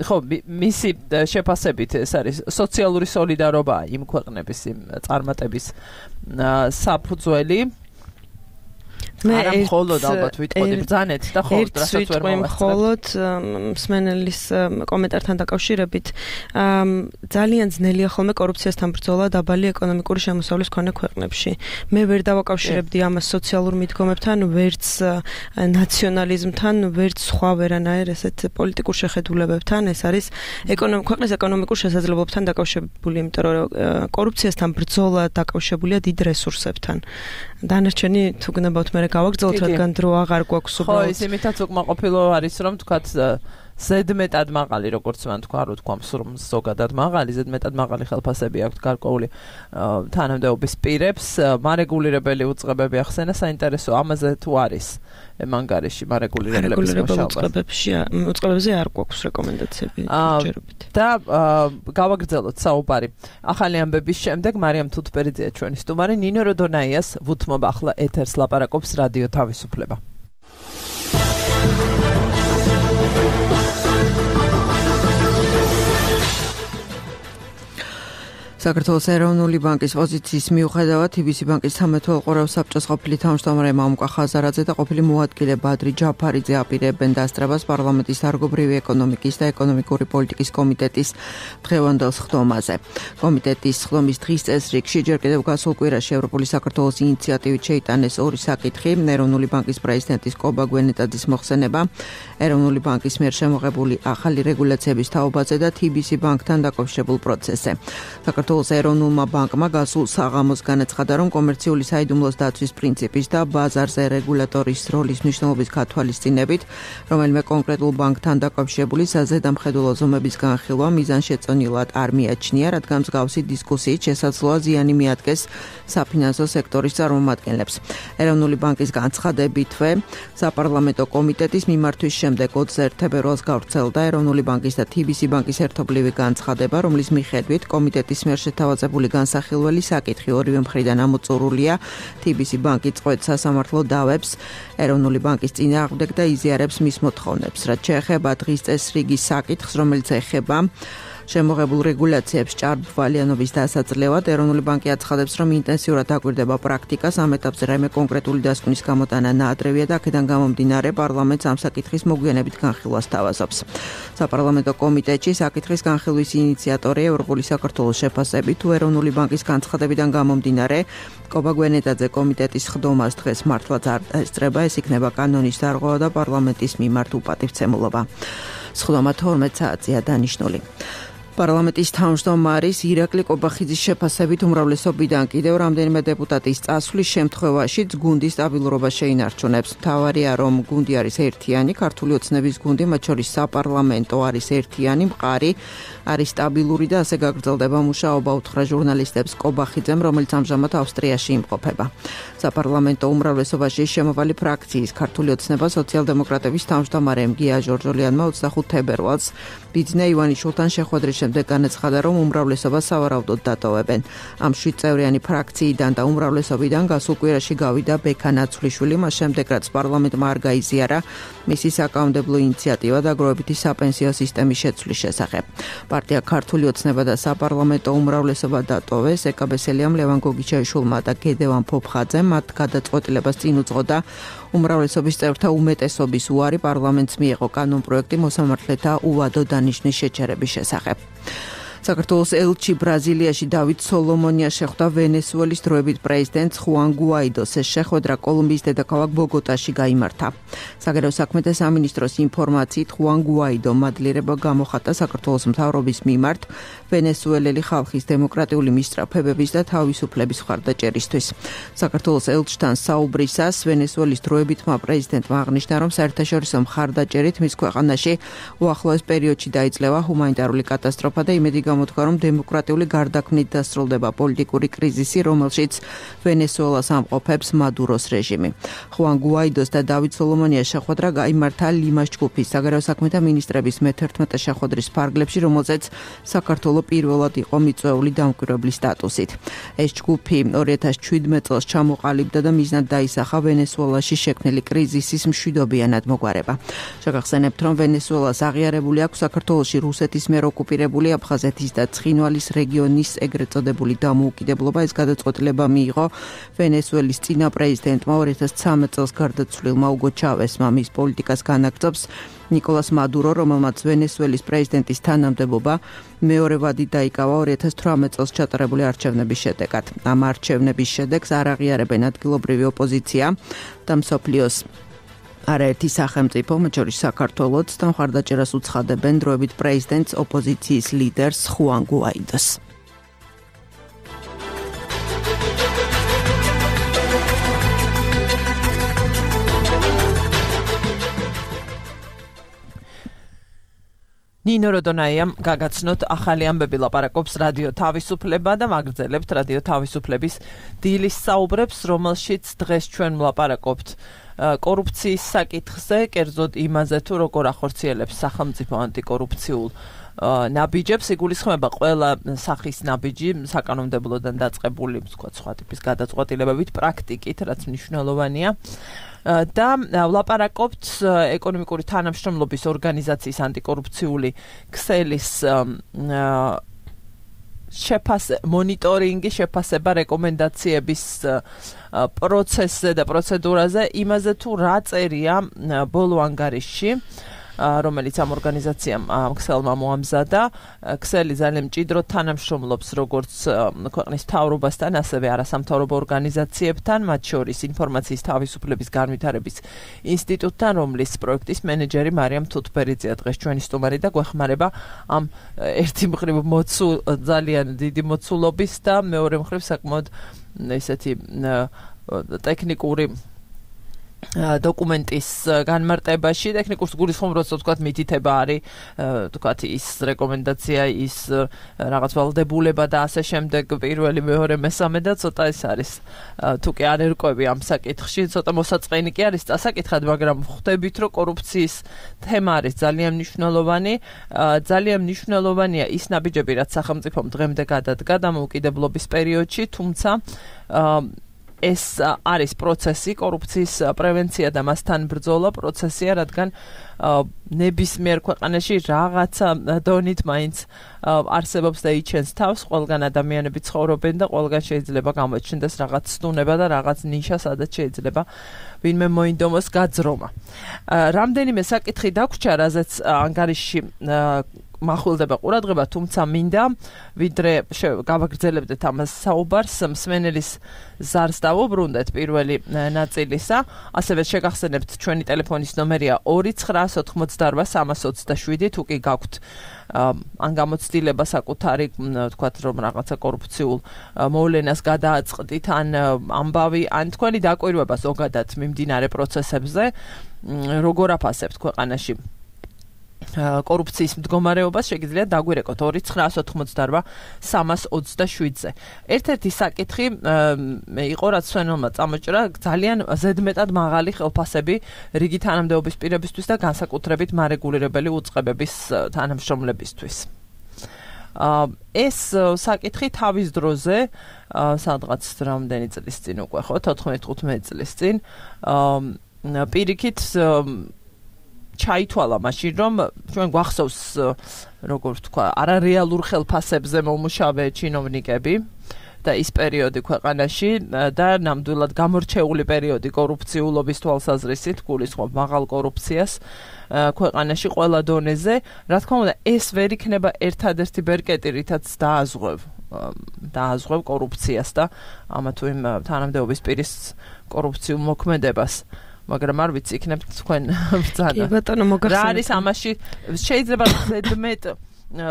ხო მისი შეფასებით ეს არის სოციალური სოლიდარობა იმ ქვეყნების იმ წარმატების საფუძველი არა მხოლოდ ალბათ ვიტყოდი ბრძანეთ და ხოლმე რასაც ვერ მხოლოდ მსმენელის კომენტართან დაკავშირებით ძალიან ძნელია ხოლმე კორუფციასთან ბრძოლა დაბალი ეკონომიკური შემოსავლის მქონე ქვეყნებში. მე ვერ დავაკავშირებდი ამას სოციალურ მიდგომებთან, ვერც ნაციონალიზმთან, ვერც სხვა ვერანაირ ესეთ პოლიტიკურ შეხედულებებთან. ეს არის ქვეყნის ეკონომიკურ შესაძლებლობებთან დაკავშირებული, იმიტომ რომ კორუფციასთან ბრძოლა დაკავშირებულია დიდ რესურსებთან. დანარჩენი თუ გნებავთ მე გავაგრძელოთ, რადგან დრო აღარ გვაქვს უბრალოდ. ხო, ის იმითაც უკმაყოფილო არის, რომ თქვათ ზედმეტად მაღალი, როგორც მან თქვა, რო თქვა ზოგადად მაღალი, ზედმეტად მაღალი ხელფასები აქვთ გარკვეული თანამდებობის პირებს, მარეგულირებელი უწყებები ახსენა, საინტერესო ამაზე თუ არის მანგარიში მარეგულირებელების მუშაობა. უწყებებზე არ გვაქვს რეკომენდაციები ჯერობით. და გავაგრძელოთ საუბარი. ახალი ამბების შემდეგ მარიამ თუთბერიძეა ჩვენი სტუმარი, ნინო როდონაიას ვუთმობ ახლა ეთერს ლაპარაკობს რადიო თავისუფლება. საქართველოს ეროვნული ბანკის პოზიციის მიუხედავად TBC ბანკის 13 ყურავ საბჭოს ყოფილი თავმჯდომარე მამუკა ხაზარაძე და ყოფილი მოადგილე ბადრი ჯაფარიძე აპირებენ დასწრებას პარლამენტის დარგობრივი ეკონომიკის და ეკონომიკური პოლიტიკის კომიტეტის დღევანდელ სხდომაზე. კომიტეტის სხდომის დღის წესრიგში ჯერ კიდევ გასულ კვირაში ევროპული საქართველოს ინიციატივით შეიტანეს ორი საკითხი: ეროვნული ბანკის პრეზიდენტის კობა გვენეტაძის მოხსენება, ეროვნული ბანკის მიერ შემოღებული ახალი რეგულაციების თაობაზე და TBC ბანკთან დაკავშირებულ პროცესზე. საქართველოს ეროვნულმა ბანკმა გასულ საღამოს განაცხადა, რომ კომერციული საიდუმლოს დაცვის პრინციპის და ბაზარზე რეგულატორის როლის მნიშვნელობის გათვალისწინებით, რომელიმე კონკრეტულ ბანკთან დაკავშირებული საზედამხედველო ზომების განხილვა მიზანშეწონილად არ მიაჩნია, რადგან მსგავსი დისკუსიით შესაძლოა ზიანი მიადგეს საფინანსო სექტორის წარმომადგენლებს. ეროვნული ბანკის განცხადებითვე საპარლამენტო კომიტეტის მიმართვის შემდეგ 20 თებერვალს გავრცელდა ეროვნული ბანკის და TBC ბანკის ერთობლივი განცხადება, რომლის მიხედვით კომიტეტის მიერ შეთავაზებული განსახილველი საკითხი ორივე მხრიდან ამოწურულია. TBC ბანკი წყვეტს სასამართლო დავებს ეროვნული ბანკის წინააღმდეგ და იზიარებს მის მოთხოვნებს. რაც შეეხება დღის წესრიგის საკითხს, რომელიც ეხება შემოღებულ რეგულაციებს ჭარბვალიანობის დასაძლევად, ეროვნული ბანკი აცხადებს, რომ ინტენსიურად დაკვირდება პრაქტიკას, ამ ეტაპზე რაიმე კონკრეტული დასკვნის გამოტანა ნაადრევია და აქედან გამომდინარე პარლამენტს ამ საკითხის მოგვიანებით განხილვას თავაზობს. საპარლამენტო კომიტეტში საკითხის განხილვის ინიციატორი ევროპული საქართველოს შეფასებით, თუ ეროვნული ბანკის განცხადებიდან გამომდინარე კობა გვენეტაძე კომიტეტის სხდომას დღეს მართლაც არ ესწრება, ეს იქნება კანონის დარღვევა და პარლამენტის მიმართ უპატივცემულობა. სხდომა 12 საათზეა დანიშნული. პარლამენტის თავმჯდომარის ირაკლი კობახიძის შეფასებით უმრავლესობიდან კიდევ რამდენიმე დეპუტატის წასვლის შემთხვევაშიც გუნდის სტაბილურობა შეინარჩუნებს. მთავარია, რომ გუნდი არის ერთიანი, ქართული ოცნების გუნდი, მათ შორის საპარლამენტო არის ერთიანი, მყარი, არის სტაბილური და ასე გაგრძელდება მუშაობა, უთხრა ჟურნალისტებს კობახიძემ, რომელიც ამჟამად ავსტრიაში იმყოფება. საპარლამენტო უმრავლესობაში შემოვალი ფრაქციის ქართული ოცნება სოციალ-დემოკრატების თავმჯდომარემ გია ჟორჟოლიანმა 25 თებერვალს ბიძინა ივანიშვილთან შეხვედრის შემდეგ განაცხადა, რომ უმრავლესობა სავარაუდოდ დატოვებენ. ამ 7 წევრიანი ფრაქციიდან და უმრავლესობიდან გასულ კვირაში გავიდა ბექა ნაცვლიშვილი, მას შემდეგ რაც პარლამენტმა არ გაიზიარა მისი საკანონმდებლო ინიციატივა დაგროვებითი საპენსიო სისტემის შეცვლის შესახებ. პარტია ქართული ოცნება და საპარლამენტო უმრავლესობა დატოვეს. ეკაბესელიამ, ლევან გოგიჩაიშვილმა და გედევან ფოფხაძემ მათ გადაწყვეტილებას წინ უძღოდა უმრავლესობის წევრთა უმეტესობის უარი პარლამენტს მიეღო კანონპროექტი მოსამართლეთა უვადო დანიშნის შეჩერების შესახებ. საქართველოს ელჩი ბრაზილიაში დავით სოლომონია შეხვდა ვენესუელის დროებით პრეზიდენტს ხუან გუაიდოს. ეს შეხვედრა კოლუმბიის დედაქალაქ ბოგოტაში გაიმართა. საგარეო საქმეთა სამინისტროს ინფორმაციით ხუან გუაიდო მადლიერება გამოხატა საქართველოს მთავრობის მიმართ ვენესუელელი ხალხის დემოკრატიული მისწრაფებების და თავისუფლების მხარდაჭერისთვის. საქართველოს ელჩთან საუბრისას ვენესუელის დროებითმა პრეზიდენტმა აღნიშნა, რომ საერთაშორისო მხარდაჭერით მის ქვეყანაში უახლოეს პერიოდში დაიძლევა ჰუმანიტარული კატასტროფა და იმედი გამოთქვა, რომ დემოკრატიული გარდაქმნით დასრულდება პოლიტიკური კრიზისი, რომელშიც ვენესუელას ამყოფებს მადუროს რეჟიმი. ხუან გუაიდოს და დავით სოლომონიას შეხვედრა გაიმართა ლიმას ჯგუფის საგარეო საქმეთა მინისტრების მე-11 შეხვედრის ფარგლებში, რომელზეც საქართველო პირველად იყო მიწვეული დამკვირვებლის სტატუსით. ეს ჯგუფი 2017 წელს ჩამოყალიბდა და მიზნად დაისახა ვენესუელაში შექმნილი კრიზისის მშვიდობიანად მოგვარება. შეგახსენებთ, რომ ვენესუელას აღიარებული აქვს საქართველოში რუსეთის მიერ ოკუპირებული აფხაზეთის და ცხინვალის რეგიონის ეგრეთ წოდებული დამოუკიდებლობა. ეს გადაწყვეტილება მიიღო ვენესუელის წინა პრეზიდენტმა 2013 წელს გარდაცვლილმა უგო ჩავესმა. მის პოლიტიკას განაგრძობს ნიკოლას მადურო, რომელმაც ვენესუელის პრეზიდენტის თანამდებობა მეორე ვადით დაიკავა 2018 წელს ჩატარებული არჩევნების შედეგად. ამ არჩევნების შედეგს არ აღიარებენ ადგილობრივი ოპოზიცია და მსოფლიოს არაერთი სახელმწიფო, მათ შორის საქართველოც, და მხარდაჭერას უცხადებენ დროებით პრეზიდენტს ოპოზიციის ლიდერს ხუან გუაიდოს. ნინო როდონაიამ გაგაცნოთ ახალი ამბები ლაპარაკობს რადიო თავისუფლება და მაგრძელებთ რადიო თავისუფლების დილის საუბრებს, რომელშიც დღეს ჩვენ ვლაპარაკობთ კორუფციის საკითხზე, კერძოდ იმაზე თუ როგორ ახორციელებს სახელმწიფო ანტიკორუფციულ ნაბიჯებს. იგულისხმება ყველა სახის ნაბიჯი საკანონმდებლოდან დაწყებული, ვთქვათ, სხვა ტიპის გადაწყვეტილებებით, პრაქტიკით, რაც მნიშვნელოვანია. და ვლაპარაკობთ ეკონომიკური თანამშრომლობის ორგანიზაციის ანტიკორუფციული ქსელის მონიტორინგი, შეფასება, რეკომენდაციების პროცესზე და პროცედურაზე, იმაზე თუ რა წერია ბოლო ანგარიშში, რომელიც ამ ორგანიზაციამ ქსელმა მოამზადა. ქსელი ძალიან მჭიდროდ თანამშრომლობს როგორც ქვეყნის მთავრობასთან, ასევე არასამთავრობო ორგანიზაციებთან, მათ შორის ინფორმაციის თავისუფლების განვითარების ინსტიტუტთან, რომლის პროექტის მენეჯერი მარიამ თუთბერიძეა დღეს ჩვენი სტუმარი და გვეხმარება ამ ერთი მხრივ ძალიან დიდი მოცულობის და მეორე მხრივ საკმაოდ ესეთი ტექნიკური დოკუმენტის განმარტებაში. ტექნიკურს გულისხმობს, ვთქვათ, მითითება არის, ვთქვათ, ის რეკომენდაცია, ის რაღაც ვალდებულება და ასე შემდეგ, პირველი, მეორე, მესამე და ცოტა ეს არის. თუ კი არ ერკვევი ამ საკითხში, ცოტა მოსაწყენი კი არის წასაკითხად, მაგრამ ხვდებით, რომ კორუფციის თემა არის ძალიან მნიშვნელოვანი. ძალიან მნიშვნელოვანია ის ნაბიჯები, რაც სახელმწიფომ დღემდე გადადგა დამოუკიდებლობის პერიოდში, თუმცა ეს არის პროცესი, კორუფციის პრევენცია და მასთან ბრძოლა პროცესია, რადგან ნებისმიერ ქვეყანაში რაღაცა დონით მაინც არსებობს და იჩენს თავს, ყველგან ადამიანები ცხოვრობენ და ყველგან შეიძლება გამოჩნდეს რაღაც სტუნება და რაღაც ნიშა, სადაც შეიძლება ვინმე მოინდომოს გაძრომა. რამდენიმე საკითხი დაგვრჩა, რაზეც ანგარიშში მახვილდება ყურადღება, თუმცა მინდა ვიდრე გავაგრძელებდეთ ამას საუბარს, მსმენელის ზარს დავუბრუნდეთ პირველი ნაწილისა, ასევე შეგახსენებთ ჩვენი ტელეფონის ნომერია 29988 თუ კი გაქვთ ან გამოცდილება საკუთარი, თქვათ, რომ რაღაცა კორუფციულ მოვლენას გადააწყდით, ან ამბავი, ან თქვენი დაკვირვება ზოგადად მიმდინარე პროცესებზე, როგორ აფასებთ ქვეყანაში კორუფციის მდგომარეობას, შეგიძლიათ დაგვირეკოთ 29988-327-ზე. ერთ-ერთი საკითხი იყო, რაც ჩვენმა წამოჭრა, ძალიან ზედმეტად მაღალი ხელფასები რიგი თანამდებობის პირებისთვის და განსაკუთრებით მარეგულირებელი უწყებების თანამშრომლებისთვის. ეს საკითხი თავის დროზე, სადღაც რამდენი წლის წინ უკვე ხო, 14-15 წლის წინ, პირიქით ჩაითვალა მაშინ, რომ ჩვენ გვახსოვს, როგორ ვთქვა, არარეალურ ხელფასებზე მომუშავე ჩინოვნიკები და ის პერიოდი ქვეყანაში და ნამდვილად გამორჩეული პერიოდი კორუფციულობის თვალსაზრისით, გულისხმობ მაღალ კორუფციას ქვეყანაში ყველა დონეზე. რა თქმა უნდა, ეს ვერ იქნება ერთადერთი ბერკეტი, რითაც დააზღვევ კორუფციას და ამა თუ იმ თანამდებობის პირის კორუფციულ მოქმედებას. მაგრამ არ ვიცი, იქნებ თქვენ ბრძანა. კი ბატონო, მოგახსენეთ. რა არის ამაში? შეიძლება ზედმეტ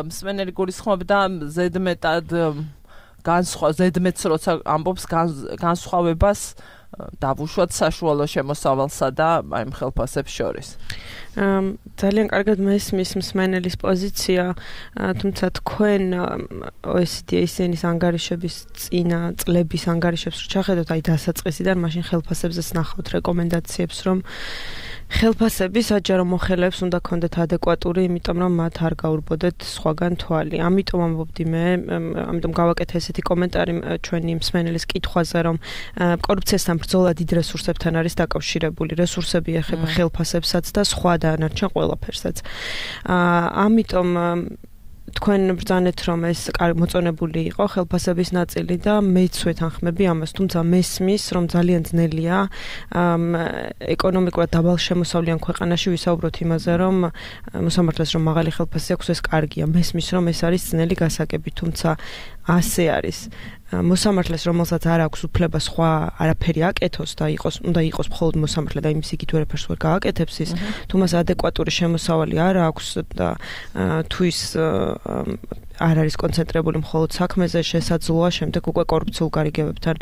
მსმენელი გულისხმობდა ზედმეტად ზედმეტს როცა ამბობს განსხვავებას დავუშვათ საშუალო შემოსავალსა და აი ხელფასებს შორის. ძალიან კარგად მესმის მსმენელის პოზიცია, თუმცა თქვენ OECD-ის ანგარიშების წინა წლების ანგარიშებს რო ჩახედოთ, აი დასაწყისიდან მაშინ ხელფასებზეც ნახავთ რეკომენდაციებს, რომ ხელფასები საჯარო მოხელეებს უნდა ქონდეთ ადეკვატური, იმიტომ რომ მათ არ გაურბოდეთ სხვაგან თვალი. ამიტომ ამბობდი მე, ამიტომ გავაკეთე ესეთი კომენტარი ჩვენი მსმენელის კითხვაზე, რომ კორუფციასთან ბრძოლა დიდ რესურსებთან არის დაკავშირებული. რესურსები ეხება ხელფასებსაც და სხვა დანარჩენ ყველაფერსაც. ამიტომ თქვენ ბრძანეთ, რომ ეს მოწონებული იყო ხელფასების ნაწილი და მეც ვეთანხმები ამას, თუმცა მესმის, რომ ძალიან ძნელია ეკონომიკურად დაბალშემოსავლიან ქვეყანაში ვისაუბროთ იმაზე, რომ მოსამართლეს რომ მაღალი ხელფასი აქვს, ეს კარგია. მესმის, რომ ეს არის ძნელი გასაგები, თუმცა ასე არის. მოსამართლეს, რომელსაც არ აქვს უფლება სხვა არაფერი აკეთოს და უნდა იყოს მხოლოდ მოსამართლე და იმის იგივე ვერაფერს ვერ გააკეთებს ის, თუ მას ადეკვატური შემოსავალი არ აქვს და თუ ის არ არის კონცენტრირებული მხოლოდ საქმეზე, შესაძლოა შემდეგ უკვე კორუფციულ გარიგებებთან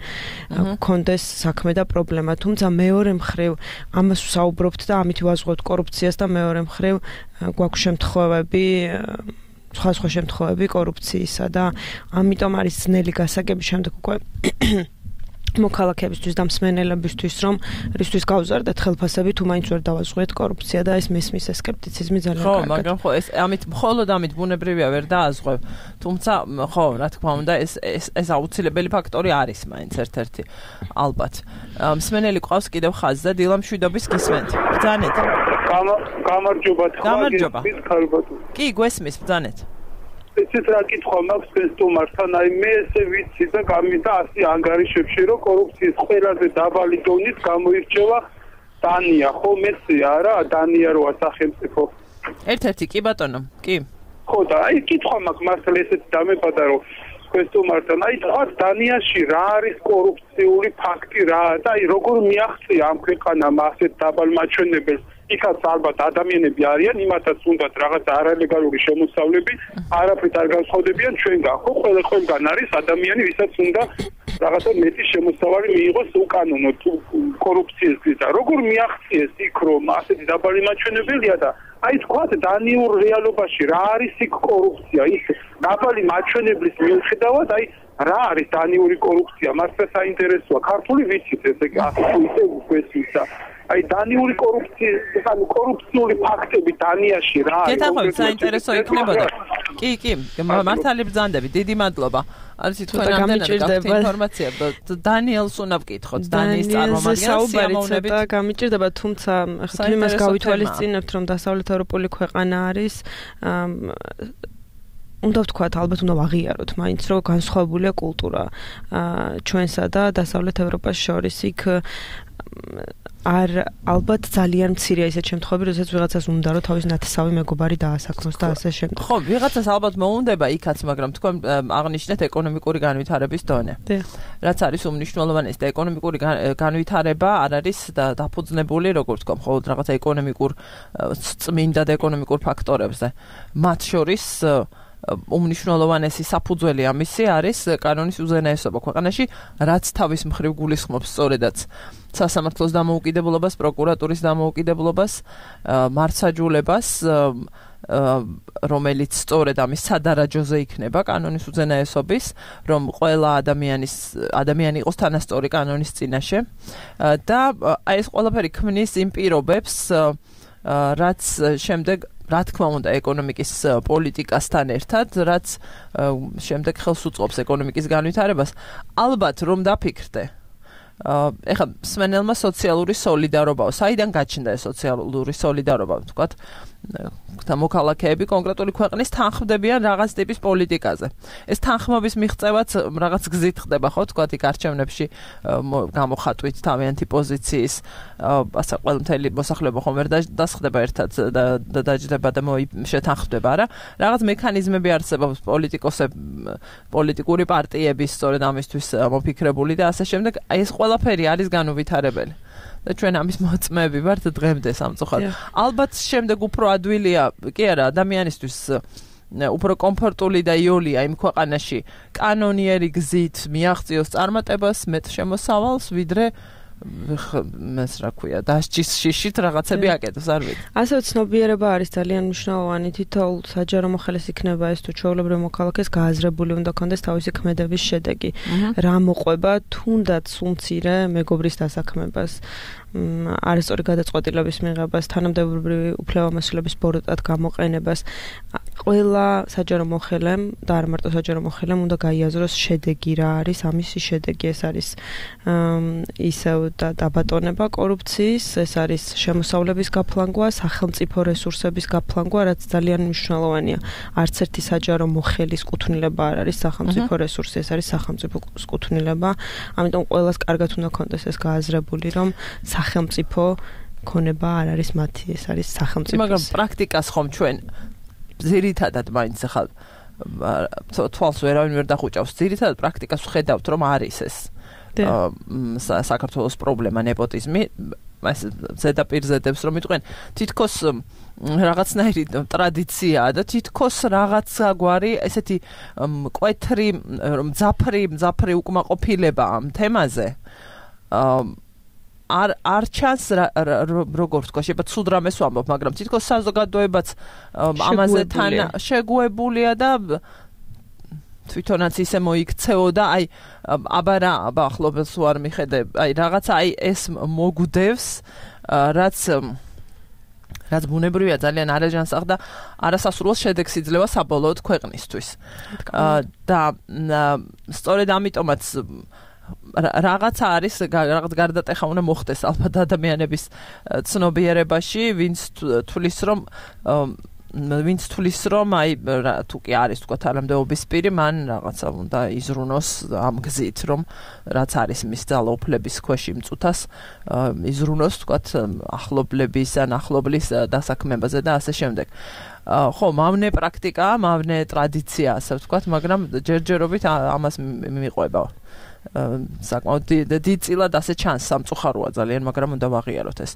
გქონდეს საქმე და პრობლემა. თუმცა მეორე მხრივ ამას ვსაუბრობთ და ამით ვაზღვევთ კორუფციას და მეორე მხრივ გვაქვს შემთხვევები სხვა შემთხვევები კორუფციისა და ამიტომ არის ძნელი გასაგები შემდეგ უკვე მოქალაქეებისთვის და მსმენელებისთვის რომ რისთვის გავზარდეთ ხელფასები თუ მაინც ვერ დავაზღვიეთ კორუფცია და ეს მესმის სკეპტიციზმი ძალიან კარგად. ხო, მაგრამ ხო ეს მხოლოდ ამით ბუნებრივია ვერ დააზღვევ. თუმცა ხო, რა თქმა უნდა ეს აუცილებელი ფაქტორი არის მაინც ერთ-ერთი ალბათ. მსმენელი ყავს კიდევ ხაზზე და დილა მშვიდობის გისმენთ. ბრძანეთ. გამარჯობა. გამარჯობა. კი, გვესმის, ბრძანეთ. ესეც რა კითხვა მაქვს სტუმართან, აი მე ესე ვიცი და გამიდა ასე ანგარიშებში, რომ კორუფციის ყველაზე დაბალი დონით გამოირჩევა დანია, ხო მეცი არა, დანია როა სახელმწიფო. ერთ-ერთი კი ბატონო, კი. ხო და აი კითხვა მაქვს მართლა ესეც დამებადა რომ სტუმართან, აი თქვათ დანიაში რა არის კორუფციული ფაქტი რა და აი როგორ მიაღწია ამ ქვეყანამ ასეთ დაბალ მაჩვენებელს იქაც ალბათ ადამიანები არიან, იმათაც უნდათ რაღაც არალეგალური შემოსავლები, არაფრით არ განსხვავდებიან ჩვენგან. ხო, ყველგან არის ადამიანი, ვისაც უნდა რაღაცა მეტი შემოსავალი მიიღოს უკანონოდ კორუფციის გზით. როგორ მიაღწიეს იქ რომ ასეთი დაბალი მაჩვენებელია და აი თქვათ დანიურ რეალობაში რა არის იქ კორუფცია? ის დაბალი მაჩვენებლის მიუხედავად აი რა არის დანიური კორუფცია? მართლა საინტერესოა. ქართული ვიცით ესე ასე უქვესისა. აი დანიური კორუფციული ფაქტები დანიაში რა არის? გეთანხმებით საინტერესო იქნებოდა. კი, მართალი ბრძანდები. დიდი მადლობა. არის თქვენ რამდენად ინფორმაცია დანიელს უნდა ვკითხოთ დანიის წარმომადგენელს საუბარი და გამიჭირდება თუმცა ახლა იმას გავითვალისწინებთ რომ დასავლეთ ევროპული ქვეყანა არის უნდა ვთქვათ ალბათ უნდა ვაღიაროთ მაინც რომ განსხვავებულია კულტურა ჩვენსა და დასავლეთ ევროპას შორის იქ არ ალბათ ძალიან მცირეა ისეთ შემთხვევები, როდესაც ვიღაცას უნდა რომ თავის ნათესავი მეგობარი დაასაქმოს და ასე შემდეგ. ხო, ვიღაცას ალბათ მოუნდება იქაც, მაგრამ თქვენ აღნიშნეთ ეკონომიკური განვითარების დონე. რაც არის უმნიშვნელოვანესი და ეკონომიკური განვითარება არ არის დაფუძნებული, როგორც თქვა, მხოლოდ რაღაცა ეკონომიკურ წმინდა და ეკონომიკურ ფაქტორებზე. მათ შორის უმნიშვნელოვანესი საფუძველი ამისი არის კანონის უზენაესობა ქვეყანაში, რაც თავის მხრივ გულისხმობს სწორედაც სასამართლოს დამოუკიდებლობას, პროკურატურის დამოუკიდებლობას, მართსაჯულებას, რომელიც სწორედ ამის სადარაჯოზე იქნება კანონის უზენაესობის, რომ ყველა ადამიანი იყოს თანასწორი კანონის წინაშე და აი ეს ყველაფერი ქმნის იმ პირობებს, რაც შემდეგ რა თქმა უნდა ეკონომიკის პოლიტიკასთან ერთად, რაც შემდეგ ხელს უწყობს ეკონომიკის განვითარებას, ალბათ რომ დაფიქრდე. ეხლა მსმენელმა სოციალური სოლიდარობაა. საიდან გაჩნდა ეს სოციალური სოლიდარობა, ვთქვათ, და მოქალაქეები კონკრეტული ქვეყნის თანხმდებიან რაღაც ტიპის პოლიტიკაზე. ეს თანხმობის მიღწევაც რაღაც გზით ხდება, ხო, ვთქვათ, იქ არჩევნებში გამოხატვით თავიანთი პოზიციის, ასე ყველმთელი მოსახლეობა ხომ ვერ დასხდება ერთად და დაჯდება და შეთანხმდება, არა? რაღაც მექანიზმები არსებობს პოლიტიკური პარტიების სწორედ ამისთვის მოფიქრებული და ასე შემდეგ. აი ეს ყველაფერი არის განუვითარებელი. და ჩვენ ამის მოწმეები ვართ დღემდე სამწუხაროდ. ალბათ შემდეგ უფრო ადვილია, კი არა, ადამიანისთვის უფრო კომფორტული და იოლია იმ ქვეყანაში კანონიერი გზით მიაღწიოს წარმატებას, მეტ შემოსავალს, ვიდრე მას რა ქვია, დასჯის შიშით რაღაცები აკეთოს, არ ვიცი. ასევე ცნობიერება არის ძალიან მნიშვნელოვანი, თითოეულ საჯარო მოხელეს იქნება ეს თუ ჩვეულებრივ მოქალაქეს გააზრებული უნდა ქონდეს თავისი ქმედების შედეგი. რა მოყვება თუნდაც უმცირე მეგობრის დასაქმებას. არასწორი გადაწყვეტილების მიღებას, თანამდებობრივი უფლებამოსილების ბოროტად გამოყენებას, ყველა საჯარო მოხელემ და არ მარტო საჯარო მოხელემ უნდა გაიაზროს შედეგი რა არის, ამისი შედეგი ეს არის ისევ დაბატონება კორუფციის, ეს არის შემოსავლების გაფლანგვა, სახელმწიფო რესურსების გაფლანგვა, რაც ძალიან მნიშვნელოვანია. არც ერთი საჯარო მოხელის კუთვნილება არ არის სახელმწიფო რესურსი, ეს არის სახელმწიფოს კუთვნილება. ამიტომ ყველას კარგად უნდა ქონდეს ეს გააზრებული, რომ სახელმწიფო ქონება არ არის მათი, ეს არის სახელმწიფოს. მაგრამ პრაქტიკას ხომ ჩვენ ძირითადად მაინც ახლა თვალს ვერავინ ვერ დახუჭავს. ძირითადად პრაქტიკას ვხედავთ, რომ არის ეს საქართველოს პრობლემა ნეპოტიზმი. ეს ზედაპირზე დებს რომ იყვნენ თითქოს რაღაცნაირი ტრადიციაა და თითქოს რაღაცა გვარი ესეთი კვეთრი მძაფრი უკმაყოფილება ამ თემაზე არ ჩანს როგორ ვთქვა შეიძლება ცუდ რამეს ვამბობ მაგრამ თითქოს საზოგადოებაც ამაზე თან შეგუებულია და თვითონაც ისე მოიქცეოდა აი აბა რა ახლობელს ვარ მიხედე აი რაღაცა აი ეს მოგვდევს რაც ბუნებრივია ძალიან არაჯანსაღ და არასასურველ შედეგს იძლევა საბოლოოდ ქვეყნისთვის და სწორედ ამიტომაც რაღაცა არის რაღაც გარდატეხა უნდა მოხდეს ალბათ ადამიანების ცნობიერებაში ვინც თulis რომ აი თუ კი არის თქვა თანამდებობის პირი მან რაღაცა უნდა იზრუნოს ამ გზით რომ რაც არის მის ძალაუფლების ქვეშ იმწუთას იზრუნოს თქვა ახლობლების ან ახლობლის დასაქმებაზე და ასე შემდეგ ხო მავნე პრაქტიკაა მავნე ტრადიცია ასე ვთქვა მაგრამ ჯერჯერობით ამას მიყვება საკმაოდ დიდწილად ასე ჩანს სამწუხაროა ძალიან მაგრამ უნდა ვაღიაროთ ეს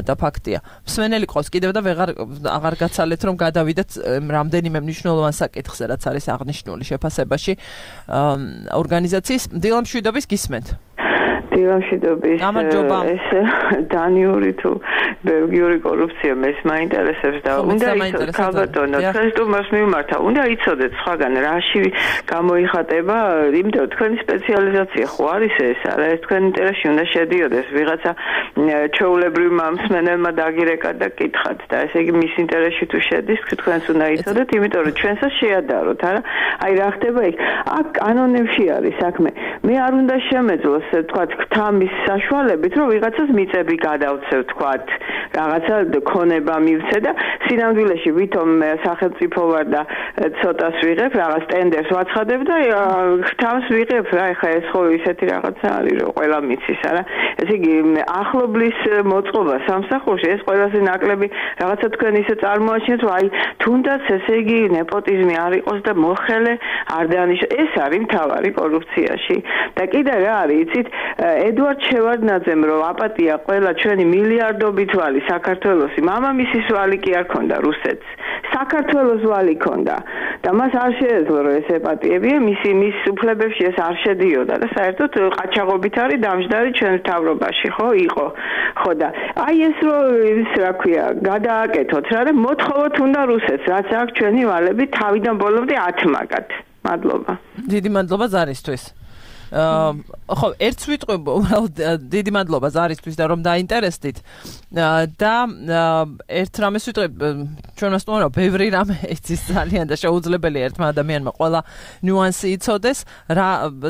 და ფაქტია მსმენელი ყავს კიდევ და აღარ გაცალეთ რომ გადავიდეთ რამდენიმე მნიშვნელოვან საკითხზე რაც არის აღნიშნული შეფასებაში ორგანიზაციის დილამშვიდობის გისმენთ დილამშვიდობის ეს დანიური თუ ბელგიური კორუფცია მეს მაინტერესებს და უნდა იცოდეთ ქალბატონო თქვენ სტუმარს მიმართა უნდა იცოდეთ სხვაგან რაში გამოიხატება იმიტომ თქვენი სპეციალიზაცია ხო არის ეს არა ეს თქვენ ინტერესში უნდა შედიოდეს ვიღაცა ჩვეულებრივმა მსმენელმა დაგირეკა და კითხათ და ესე იგი მის ინტერესში თუ შედის თქვენს უნდა იცოდეთ იმიტომ რომ ჩვენსაც შეადაროთ არა აი რა ხდება იქ აქ კანონებში არის საქმე მე არ უნდა შემეძლოს თქვა თამის საშუალებით რომ ვიღაცას მიწები გადავცევ თქვა რაღაცა ქონება მივცე და სინამდვილეში ვითომ სახელმწიფო ვარ და ცოტას ვიღებ რაღაც ტენდერს ვაცხადებ და თავს ვიღებ რა ეხა ეს ხო ისეთი რაღაცა არის რომ ყველა მიცის არა ესე იგი ახლობლის მოწყობა სამსახურში ეს ყველაზე ნაკლები რაღაცა თქვენ ისე წარმოაჩინეთ რომ აი თუნდაც ესე იგი ნეპოტიზმი არ იყოს და მოხელე არ დაანიშნოს ეს არის მთავარი კორუფციაში და კიდე რა არის იცით ედვარდ შევარდნაძემ რომ აპატია ყველა ჩვენი მილიარდობით ვალი საქართველოსი მამამისის ვალი კი არ ქონდა რუსეთს საქართველოს ვალი ქონდა და მას არ შეეძლო რომ ეს ეპატიებია მის უფლებებში ეს არ შედიოდა და საერთოდ ყაჩაღობით არის დამჯდარი ჩვენ მთავრობაში ხო იყო ხო და აი ეს რომ ის რა ქვია გადააკეთოთ რა და მოთხოვოთ უნდა რუსეთს რაც აქვს ჩვენი ვალები თავიდან ბოლომდე ათმაგად მადლობა დიდი მადლობა ზარისთვის ხო ერთს ვიტყვი უბრალოდ დიდი მადლობა ზარისთვის და რომ დაინტერესდით და ერთ რამეს ვიტყვი ჩვენმა სტუმარმა ბევრი რამე იცის ძალიან და შეუძლებელია ერთმა ადამიანმა ყველა ნიუანსი იცოდეს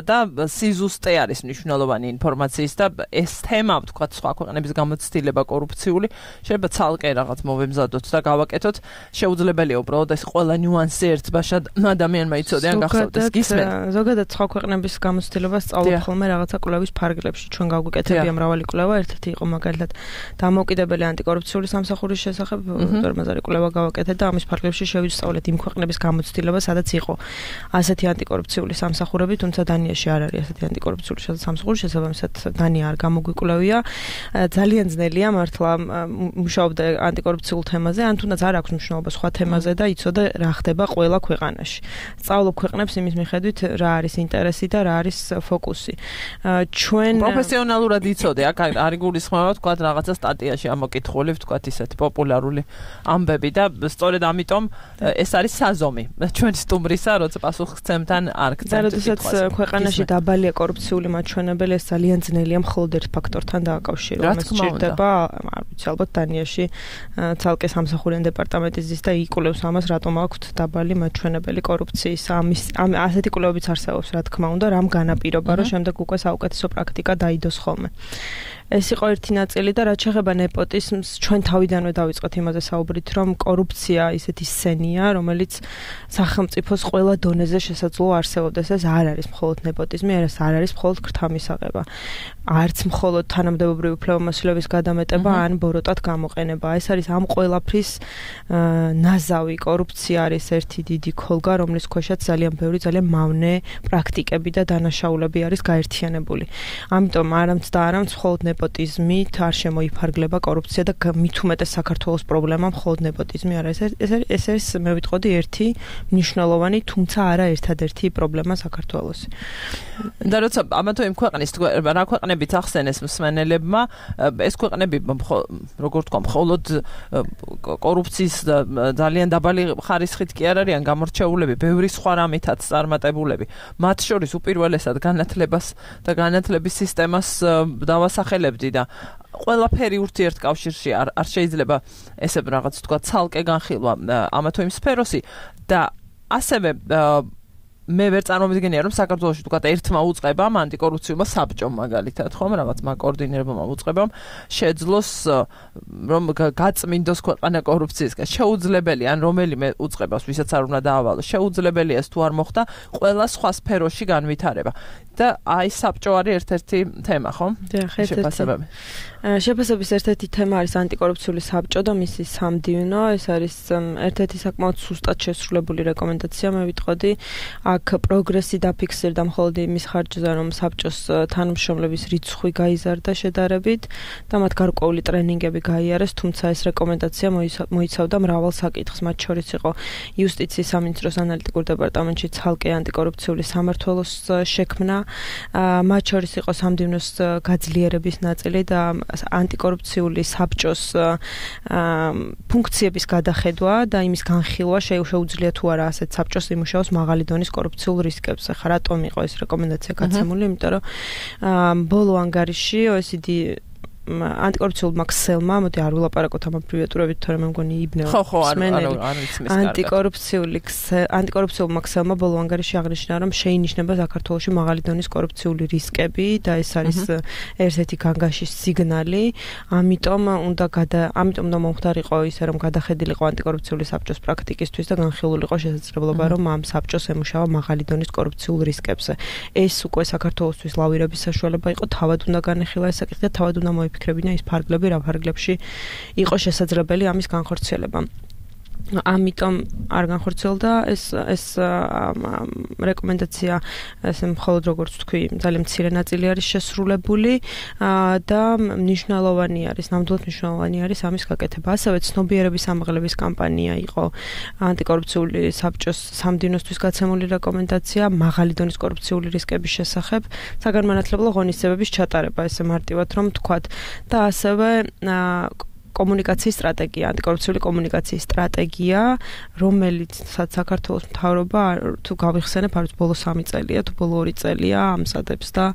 და სიზუსტე არის მნიშვნელოვანი ინფორმაციის და ეს თემა ვთქვა სხვა ქვეყნების გამოცდილება კორუფციული შეიძლება ცალკე რაღაც მოვემზადოთ და გავაკეთოთ შეუძლებელია უბრალოდ ეს ყველა ნიუანსი ერთბაშად ადამიანმა იცოდე ან გახსოვდეს გისმენთ ზოგადად სხვა ქვეყნების გამოცდილება სწავლობ ხოლმე რაღაცა კვლევის ფარგლებში ჩვენ გავგვიკეთებია მრავალი კვლევა ერთ-ერთი იყო მაგალითად დამოუკიდებელი ანტიკორუფციული სამსახურის შესახებ დორმაზარი კვლევა გავაკეთეთ და ამის ფარგლებში შევისწავლეთ იმ ქვეყნების გამოცდილება სადაც იყო ასეთი ანტიკორუფციული სამსახურები თუმცა დანიაში არ არის ასეთი ანტიკორუფციული სამსახური შესაბამისად დანია არ გამოგვიკვლევია ძალიან ძნელია მართლა მუშაობდა ანტიკორუფციულ თემაზე ან თუნდაც არ აქვს მნიშვნელობა სხვა თემაზე და იცოდა რა ხდება ყველა ქვეყანაში სწავლობ ქვეყნებს იმის მიხედვით რა არის ინტერესი და რა არის ფოკუსი. ჩვენ პროფესიონალურად იცოდე, აქ არ გულისხმობა თქვა რაღაცა სტატიაში ამოკითხული, თქვა ისეთი პოპულარული ამბები და სწორედ ამიტომ ეს არის საზომი. ჩვენ სტუმრისა, როცა პასუხისმგებთან არ გწევთ. როდესაც ქვეყანაში დაბალია კორუფციული მაჩვენებელი, ეს ძალიან ძნელია მხოლოდ ერთ ფაქტორთან დააკავშირო. რაც სჭირდება, არ ვიცი, ალბათ დანიაში ცალკე სამსახურიან დეპარტამენტი ზის და იკვლევს ამას, რატომ აქვთ დაბალი მაჩვენებელი კორუფციის. ასეთი კვლევებიც არსებობს, რა თქმა უნდა, რამ განაპირობა, რომ შემდეგ უკვე საუკეთესო პრაქტიკა დაიდოს ხოლმე. ეს იყო ერთი ნაწილი და რაც შეეხება ნეპოტიზმს, ჩვენ თავიდანვე დავიწყეთ იმაზე საუბრით, რომ კორუფცია ისეთი სცენია, რომელიც სახელმწიფოს ყველა დონეზე შესაძლოა არსებობდეს. ეს არ არის მხოლოდ ნეპოტიზმი, ეს არ არის მხოლოდ ქრთამისაღება. არც მხოლოდ თანამდებობრივი უფლებამოსილების გადამეტება ან ბოროტად გამოყენება. ეს არის ამ ყველაფრის ნაზავი. კორუფცია არის ერთი დიდი ქოლგა, რომლის ქვეშაც ძალიან ბევრი ძალიან მავნე პრაქტიკები და დანაშაულები არის გაერთიანებული. ამიტომ არამც და არამც მხოლოდ ნეპოტიზმით არ შემოიფარგლება კორუფცია და მით უმეტეს საქართველოს პრობლემა მხოლოდ ნეპოტიზმი არა. ეს არის მე ვიტყოდი ერთი მნიშვნელოვანი, თუმცა არა ერთადერთი პრობლემა საქართველოს. და როცა ამა თუ იმ ქვეყნის რა ქვეყნებით ახსენეს მსმენელებმა, ეს ქვეყნები როგორ თქვა, მხოლოდ კორუფციის ძალიან დაბალი ხარისხით კი არ არიან გამორჩეულები, ბევრი სხვა რამითაც წარმატებულები. მათ შორის უპირველესად განათლებას და განათლების სისტემას დავასახელებდი და ყველაფერი ურთიერთკავშირში არ შეიძლება ესე რაღაც თქვა ცალკე განხილვა ამა თუ იმ სფეროსი და ასევე მე ვერ წარმოვიდგენია რომ საქართველოში თქვა ერთმა უწყებამ ანტიკორუფციულმა საბჭომ მაგალითად ხომ რაღაც მაკოორდინირებელმა უწყებამ შეძლოს რომ გაწმინდოს ქვეყანა კორუფციისგან შეუძლებელი ან რომელიმე უწყებას ვისაც არ უნდა დაავალოს შეუძლებელია ეს თუ არ მოხდა ყველა სხვა სფეროში განვითარება და აი საბჭო არის ერთ-ერთი თემა ხო? შეფასებები. შეფასების ერთ-ერთი თემა არის ანტიკორუფციული საბჭო და მისი სამდივნო. ეს არის ერთ-ერთი საკმაოდ სუსტად შესრულებული რეკომენდაცია, მე ვიტყოდი. აქ პროგრესი დაფიქსირდა მხოლოდ იმის ხარჯზე, რომ საბჭოს თანამშრომლების რიცხვი გაიზარდა შედარებით და მათ გარკვეული ტრენინგები გაიარეს, თუმცა ეს რეკომენდაცია მოიცავდა მრავალ საკითხს, მათ შორის იყო იუსტიციის სამინისტროს ანალიტიკურ დეპარტამენტში ცალკე ანტიკორუფციული სამმართველოს შექმნა, მათ შორის იყო სამდივნოს გაძლიერების ნაწილი და ანტიკორუფციული საბჭოს ფუნქციების გადახედვა და იმის განხილვა შეუძლია თუ არა ასეთ საბჭოს იმუშაოს მაღალი დონის კორუფციულ რისკებზე. ხა რატომ იყო ეს რეკომენდაცია გაცემული? იმიტომ რომ ბოლო ანგარიში OECD ანტიკორუფციულმა ქსელმა, მოდი არ ვილაპარაკოთ ამ აბრივიატურებით, თორემ მე მგონი იბნევა. ხო, არ ვიცი მის ანტიკორუფციულმა ქსელმა ბოლო ანგარიში აღნიშნა, რომ შეინიშნება საქართველოში მაღალი დონის კორუფციული რისკები და ეს არის ერთ-ერთი განგაშის სიგნალი. ამიტომ უნდა მომხდარიყო ისე, რომ გადახედილიყო ანტიკორუფციული საბჭოს პრაქტიკისთვის და განხილულიყო შესაძლებლობა, რომ ამ საბჭოს ემუშავა მაღალი დონის კორუფციულ რისკებზე. ეს უკვე საქართველოსთვის ლავირების საშუალება იყო, თავად უნდა განეხილა ეს საკითხი და თავად უნდა მოიფიქრებინა ის ფარგლები, რა ფარგლებში იყო შესაძლებელი ამის განხორციელება. ამიტომ არ განხორციელდა ეს რეკომენდაცია, ესე მხოლოდ როგორც თქვი, ძალიან მცირე ნაწილი არის შესრულებული და მნიშვნელოვანი არის, ნამდვილად მნიშვნელოვანი არის ამის გაკეთება. ასევე ცნობიერების ამაღლების კამპანია იყო ანტიკორუფციული საბჭოს სამდივნოსთვის გაცემული რეკომენდაცია მაღალი დონის კორუფციული რისკების შესახებ, საგანმანათლებლო ღონისძიებების ჩატარება, ესე მარტივად რომ თქვათ და ასევე კომუნიკაციის სტრატეგია, ანტიკორუფციული კომუნიკაციის სტრატეგია, რომელიც საქართველოს მთავრობა თუ გავიხსენებ, არის ბოლო 3 წელია, თუ ბოლო 2 წელია ამზადებს და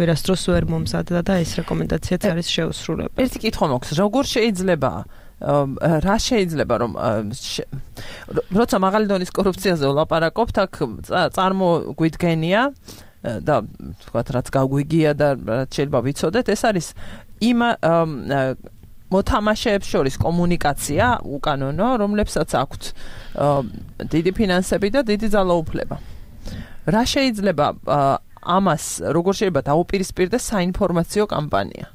ვერასდროს ვერ მომზადდა და ეს რეკომენდაციაც არის შეუსრულებელი. ერთი კითხვა მაქვს, როგორ შეიძლება რა შეიძლება რომ როცა მაღალი დონის კორუფციაზე ვლაპარაკობთ, აქ წარმოგვიდგენია და თქვათ რაც გაგვიგია და რაც შეიძლება ვიცოდეთ, ეს არის იმ მოთამაშეებს შორის კომუნიკაცია უკანონო, რომლებსაც აქვთ დიდი ფინანსები და დიდი ძალაუფლება. რა შეიძლება ამას როგორ შეიძლება დაუპირისპირდეს საინფორმაციო კამპანია?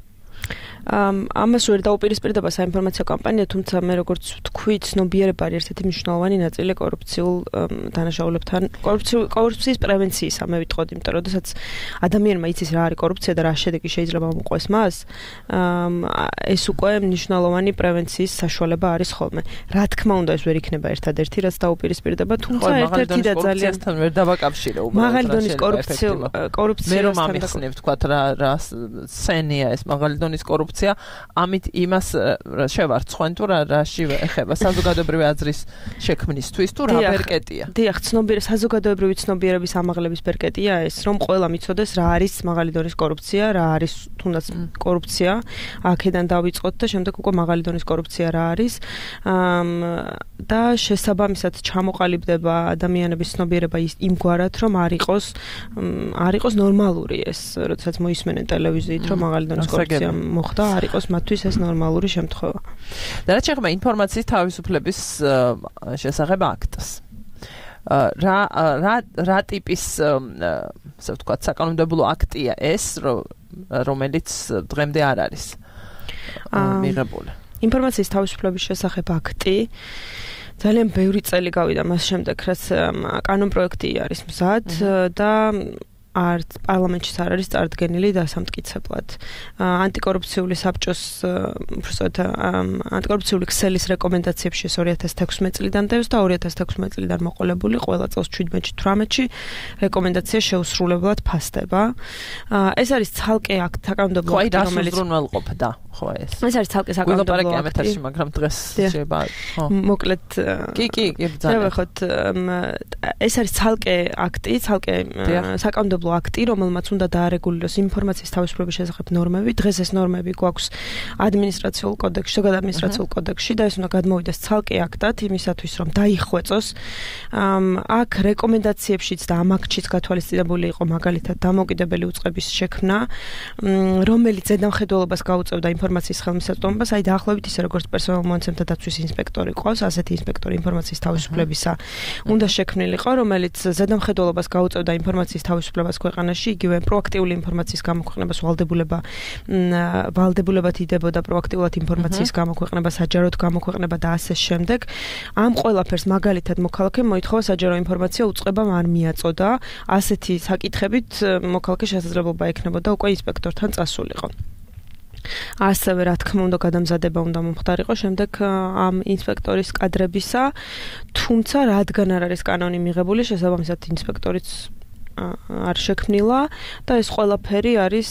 ამას ვერ დაუპირისპირდება საინფორმაციო კამპანია, თუმცა მე როგორც ვთქვი, ცნობიერება არის ერთ-ერთი მნიშვნელოვანი ნაწილი კორუფციულ დანაშაულებთან, კორუფციის პრევენციისა, მე ვიტყოდი, იმიტომ რომ როდესაც ადამიანმა იცის რა არის კორუფცია და რა შედეგი შეიძლება მოყვეს მას, ეს უკვე მნიშვნელოვანი პრევენციის საშუალება არის ხოლმე. რა თქმა უნდა, ეს ვერ იქნება ერთადერთი, რაც დაუპირისპირდება, თუმცა ერთ-ერთი და ძალიან ვერ დავაკავშირე უბრალოდ. მაღალი დონის კორუფცია მე რომ ამიხსნებ, თქვათ რა სცენია ეს მაღალი დონის კორუფცია, ამით იმას შევარცხენ თუ რაში ეხება საზოგადოებრივი აზრის შექმნისთვის თუ რა ბერკეტია? დიახ, საზოგადოებრივი ცნობიერების ამაღლების ბერკეტია ეს, რომ ყველა მიცოდეს რა არის მაღალი დონის კორუფცია, რა არის თუნდაც კორუფცია, აქედან დავიწყოთ და შემდეგ უკვე მაღალი დონის კორუფცია რა არის და შესაბამისად ჩამოყალიბდება ადამიანების ცნობიერება იმგვარად, რომ არ იყოს ნორმალური ეს, როდესაც მოისმენენ ტელევიზიით, რომ მაღალი დონის კორუფცია მოხდა, არ იყოს მათთვის ეს ნორმალური შემთხვევა. და რაც შეეხება ინფორმაციის თავისუფლების შესახებ აქტს. რა ტიპის, ასე ვთქვათ, საკანონმდებლო აქტია ეს, რომელიც დღემდე არ არის მიღებული? ინფორმაციის თავისუფლების შესახებ აქტი ძალიან ბევრი წელი გავიდა მას შემდეგ, რაც კანონპროექტი არის მზად და არც პარლამენტში არ არის წარდგენილი დასამტკიცებლად. ანტიკორუფციული საბჭოს უბრალოდ ანტიკორუფციული ქსელის რეკომენდაციებში 2016 წლიდან დევს და 2016 წლიდან მოყოლებული ყველა წელს 17-18-ში რეკომენდაცია შეუსრულებლად ფასდება. ეს არის ცალკე აქტი საკანონმდებლო აქტი, რომელიც უზრუნველყოფდა, ხო ეს. ეს არის ცალკე საკანონმდებლო აქტი, მაგრამ დღეს შეიძლება, ხო. მოკლედ კი, ბრძანა. ეს არის ცალკე აქტი, ცალკე საკანონმდებლო აქტი, რომელმაც უნდა დაარეგულიროს ინფორმაციის თავისუფლების შესახებ ნორმები. დღეს ეს ნორმები გვაქვს ადმინისტრაციულ კოდექსში, ზოგადად ადმინისტრაციულ კოდექსში და ეს უნდა გადმოვიდეს ცალკე აქტად იმისათვის, რომ დაიხვეწოს. აქ რეკომენდაციებშიც და ამ აქტშიც გათვალისწინებული იყო მაგალითად დამოუკიდებელი უწყების შექმნა, რომელიც ზედამხედველობას გაუწევდა ინფორმაციის ხელმისაწვდომობას, აი დაახლოებით ისე როგორც პერსონალურ მონაცემთა დაცვის ინსპექტორი ყავს, ასეთი ინსპექტორი ინფორმაციის თავისუფლებისა უნდა შექმნილიყო, რომელიც ზედამხედველობას გაუწევდა ინფორმაციის თავისუფლებას ქვეყანაში, იგივე პროაქტიული ინფორმაციის გამოქვეყნებას ვალდებულებად იდებოდა პროაქტიულად ინფორმაციის გამოქვეყნება, საჯაროდ გამოქვეყნება და ასე შემდეგ. ამ ყველაფერს მაგალითად მოქალაქემ მოითხოვა საჯარო ინფორმაცია უწყებამ არ მიაწოდა. ასეთი საკითხებით მოქალაქე შესაძლებლობა ექნებოდა უკვე ინსპექტორთან წასულიყო. ასევე რა თქმა უნდა გადამზადება უნდა მომხდარიყო შემდეგ ამ ინსპექტორის კადრებისა, თუმცა რადგან არ არის კანონი მიღებული, შესაბამისად ინსპექტორიც არ შექმნილა და ეს ყველაფერი არის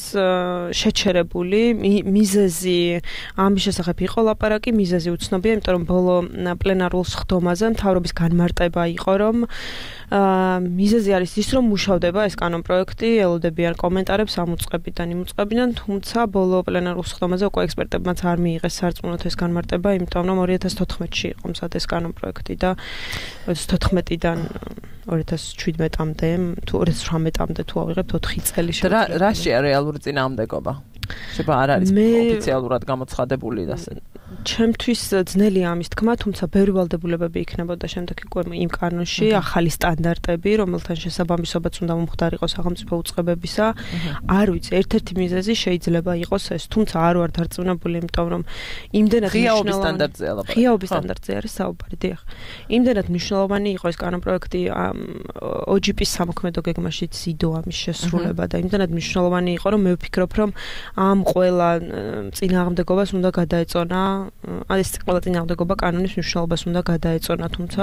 შეჩერებული. მიზეზი ამის შესახებ იყო ლაპარაკი, მიზეზი უცნობია, იმიტომ რომ ბოლო პლენარულ სხდომაზე მთავრობის განმარტება იყო, რომ მიზეზი არის ის, რომ მუშავდება ეს კანონპროექტი, ელოდებიან კომენტარებს ამ უწყებიდან, იმ უწყებიდან, თუმცა ბოლო პლენარულ სხდომაზე უკვე ექსპერტებმაც არ მიიღეს სარწმუნოდ ეს განმარტება, იმიტომ რომ 2014-ში იყო მსად ეს კანონპროექტი და 2014-დან 2017-მდე თუ 2018-მდე თუ ავიღებთ 4 წელი შეუძლია. რა შეა რეალური წინააღმდეგობა? შეიძლება არ არის ოფიციალურად გამოცხადებული და ასე. ჩემთვის ძნელია ამის თქმა, თუმცა ბევრი ვალდებულებები იქნებოდა შემდეგ უკვე იმ კანონში, ახალი სტანდარტები, რომელთან შესაბამისობაც უნდა მომხდარიყო სახელმწიფო უწყებებისა. არ ვიცი, ერთ-ერთი მიზეზი შეიძლება იყოს ეს, თუმცა არ ვარ დარწმუნებული, იმიტომ რომ იმდენად ღიაობის სტანდარტზეა ლაპარაკი. ღიაობის სტანდარტზე არის საუბარი, დიახ. იმდენად მნიშვნელოვანი იყო ეს კანონპროექტი OGP-ის სამოქმედო გეგმაშიც იდო ამის შესრულება და იმდენად მნიშვნელოვანი იყო, რომ მე ვფიქრობ, რომ ამ ყველა წინააღმდეგობას უნდა გადაეწონა, ეს ყველა წინააღმდეგობა კანონის მნიშვნელობას უნდა გადაეწონა, თუმცა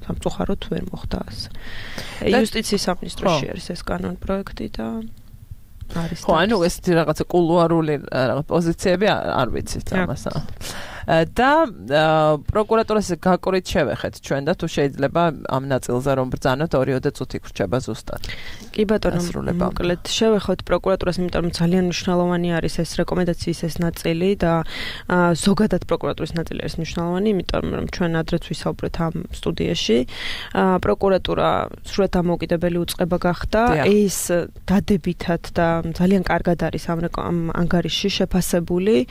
სამწუხაროდ ვერ მოხდა ასე. იუსტიციის სამინისტროში არის ეს კანონპროექტი და არის. ხო, ანუ ეს რაღაცა კულუარული რაღაც პოზიციები არ ვიცით ამასა. და პროკურატურას გაკვრით შევეხეთ ჩვენ და თუ შეიძლება ამ ნაწილზე რომ ბრძანოთ 2 წუთი გრჩება ზუსტად. კი ბატონო, მოკლედ შევეხოთ პროკურატურას, იმიტომ რომ ძალიან მნიშვნელოვანი არის ეს რეკომენდაციის ეს ნაწილი და ზოგადად პროკურატურის ნაწილი არის მნიშვნელოვანი, იმიტომ რომ ჩვენ ადრეც ვისაუბრეთ ამ სტუდიაში. პროკურატურა სრულად დამოუკიდებელი უწყება გახდა, ეს დადებითად და ძალიან კარგად არის ამ ანგარიშში შეფასებული.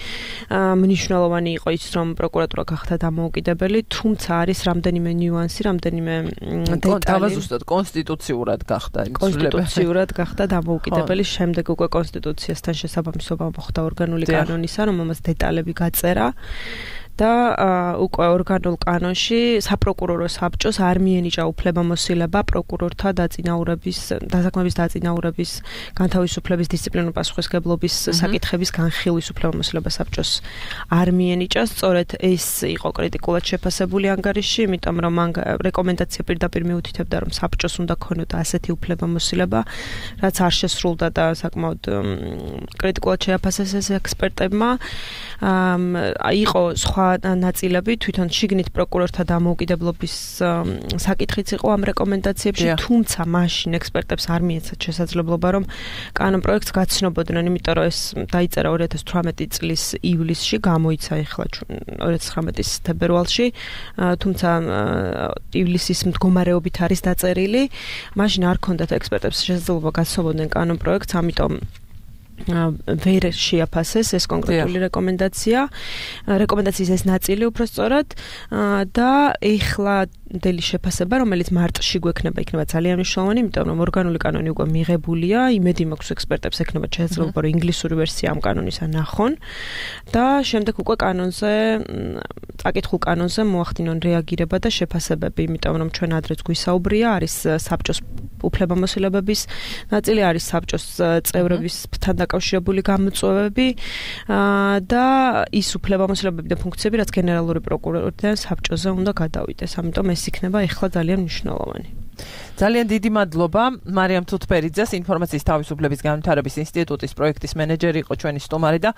მნიშვნელოვანი იყო ის, რომ პროკურატურა გახდა დამოუკიდებელი, თუმცა არის რამდენიმე ნიუანსი, რამდენიმე დეტალი. თავაზუსტად კონსტიტუციურად გახდა კონსტიტუციურად გახდა დამოუკიდებელი, შემდეგ უკვე კონსტიტუციასთან შესაბამისობა მოხდა ორგანული კანონისა, რომელმაც დეტალები გაწერა. და უკვე ორგანულ კანონში საპროკურორო საბჭოს არ მიენიჭა უფლებამოსილება პროკურორთა დასაქმების დაწინაურების, განთავისუფლების, დისციპლინური პასუხისმგებლობის საკითხების განხილვის უფლებამოსილება საბჭოს არ მიენიჭა. სწორედ ეს იყო კრიტიკულად შეფასებული ანგარიში, იმიტომ რომ რეკომენდაცია პირდაპირ მიუთითებდა, რომ საბჭოს უნდა ქონოდა ასეთი უფლებამოსილება, რაც არ შესრულდა და საკმაოდ კრიტიკულად შეაფასეს ეს ექსპერტებმა. იყო სხვა ნაწილები, თვითონ შიგნით პროკურორთა დამოუკიდებლობის საკითხიც იყო ამ რეკომენდაციებში, თუმცა მაშინ ექსპერტებს არ მიეცათ შესაძლებლობა, რომ კანონპროექტს გაცნობოდნენ, იმიტომ რომ ეს დაიწერა 2018 წლის ივლისში, გამოიცა ახლა 2019-ის თებერვალში, თუმცა ივლისის მდგომარეობით არის დაწერილი. მაშინ არ ქონდათ ექსპერტებს შესაძლებლობა გაცნობოდნენ კანონპროექტს, ამიტომ ვერ შეაფასეს ეს კონკრეტული რეკომენდაცია. რეკომენდაციის ეს ნაწილი უბრალოდ და ეხლა დელი შეფასება, რომელიც მარტში გვექნება, იქნება ძალიან მნიშვნელოვანი, იმიტომ რომ ორგანული კანონი უკვე მიღებულია, იმედი მაქვს ექსპერტებს ექნება შესაძლებლობა, რომ ინგლისური ვერსია ამ კანონისა ნახონ და შემდეგ უკვე კანონზე წაკითხულ კანონზე მოახდინონ რეაგირება და შეფასებები, იმიტომ რომ ჩვენ ადრეც გვისაუბრია, არის საბჭოს უფლებამოსილებების ნაწილი, არის საბჭოს წევრებისთან დაკავშირებული გამოწვევები და ის უფლებამოსილებები და ფუნქციები, რაც გენერალური პროკურორიდან საბჭოზე უნდა გადავიდეს. ამიტომ ეს იქნება ეხლა ძალიან მნიშვნელოვანი. ძალიან დიდი მადლობა მარიამ თუთბერიძეს, ინფორმაციის თავისუფლების განვითარების ინსტიტუტის პროექტის მენეჯერი იყო ჩვენი სტუმარი და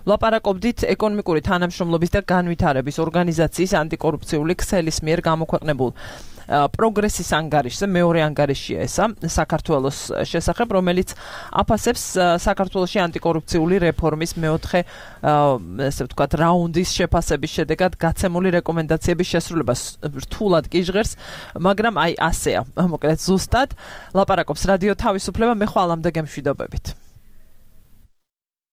ვლაპარაკობდით ეკონომიკური თანამშრომლობის და განვითარების ორგანიზაციის ანტიკორუფციული ქსელის მიერ გამოქვეყნებულ პროგრესის ანგარიშზე, მეორე ანგარიშია ესა საქართველოს შესახებ, რომელიც აფასებს საქართველოში ანტიკორუფციული რეფორმის მეოთხე ესე ვთქვათ რაუნდის შეფასების შედეგად გაცემული რეკომენდაციების შესრულებას. რთულად კი ჟღერს, მაგრამ აი ასეა. მოკლედ ზუსტად ლაპარაკობს რადიო თავისუფლება, მე ხვალამდე გემშვიდობებით.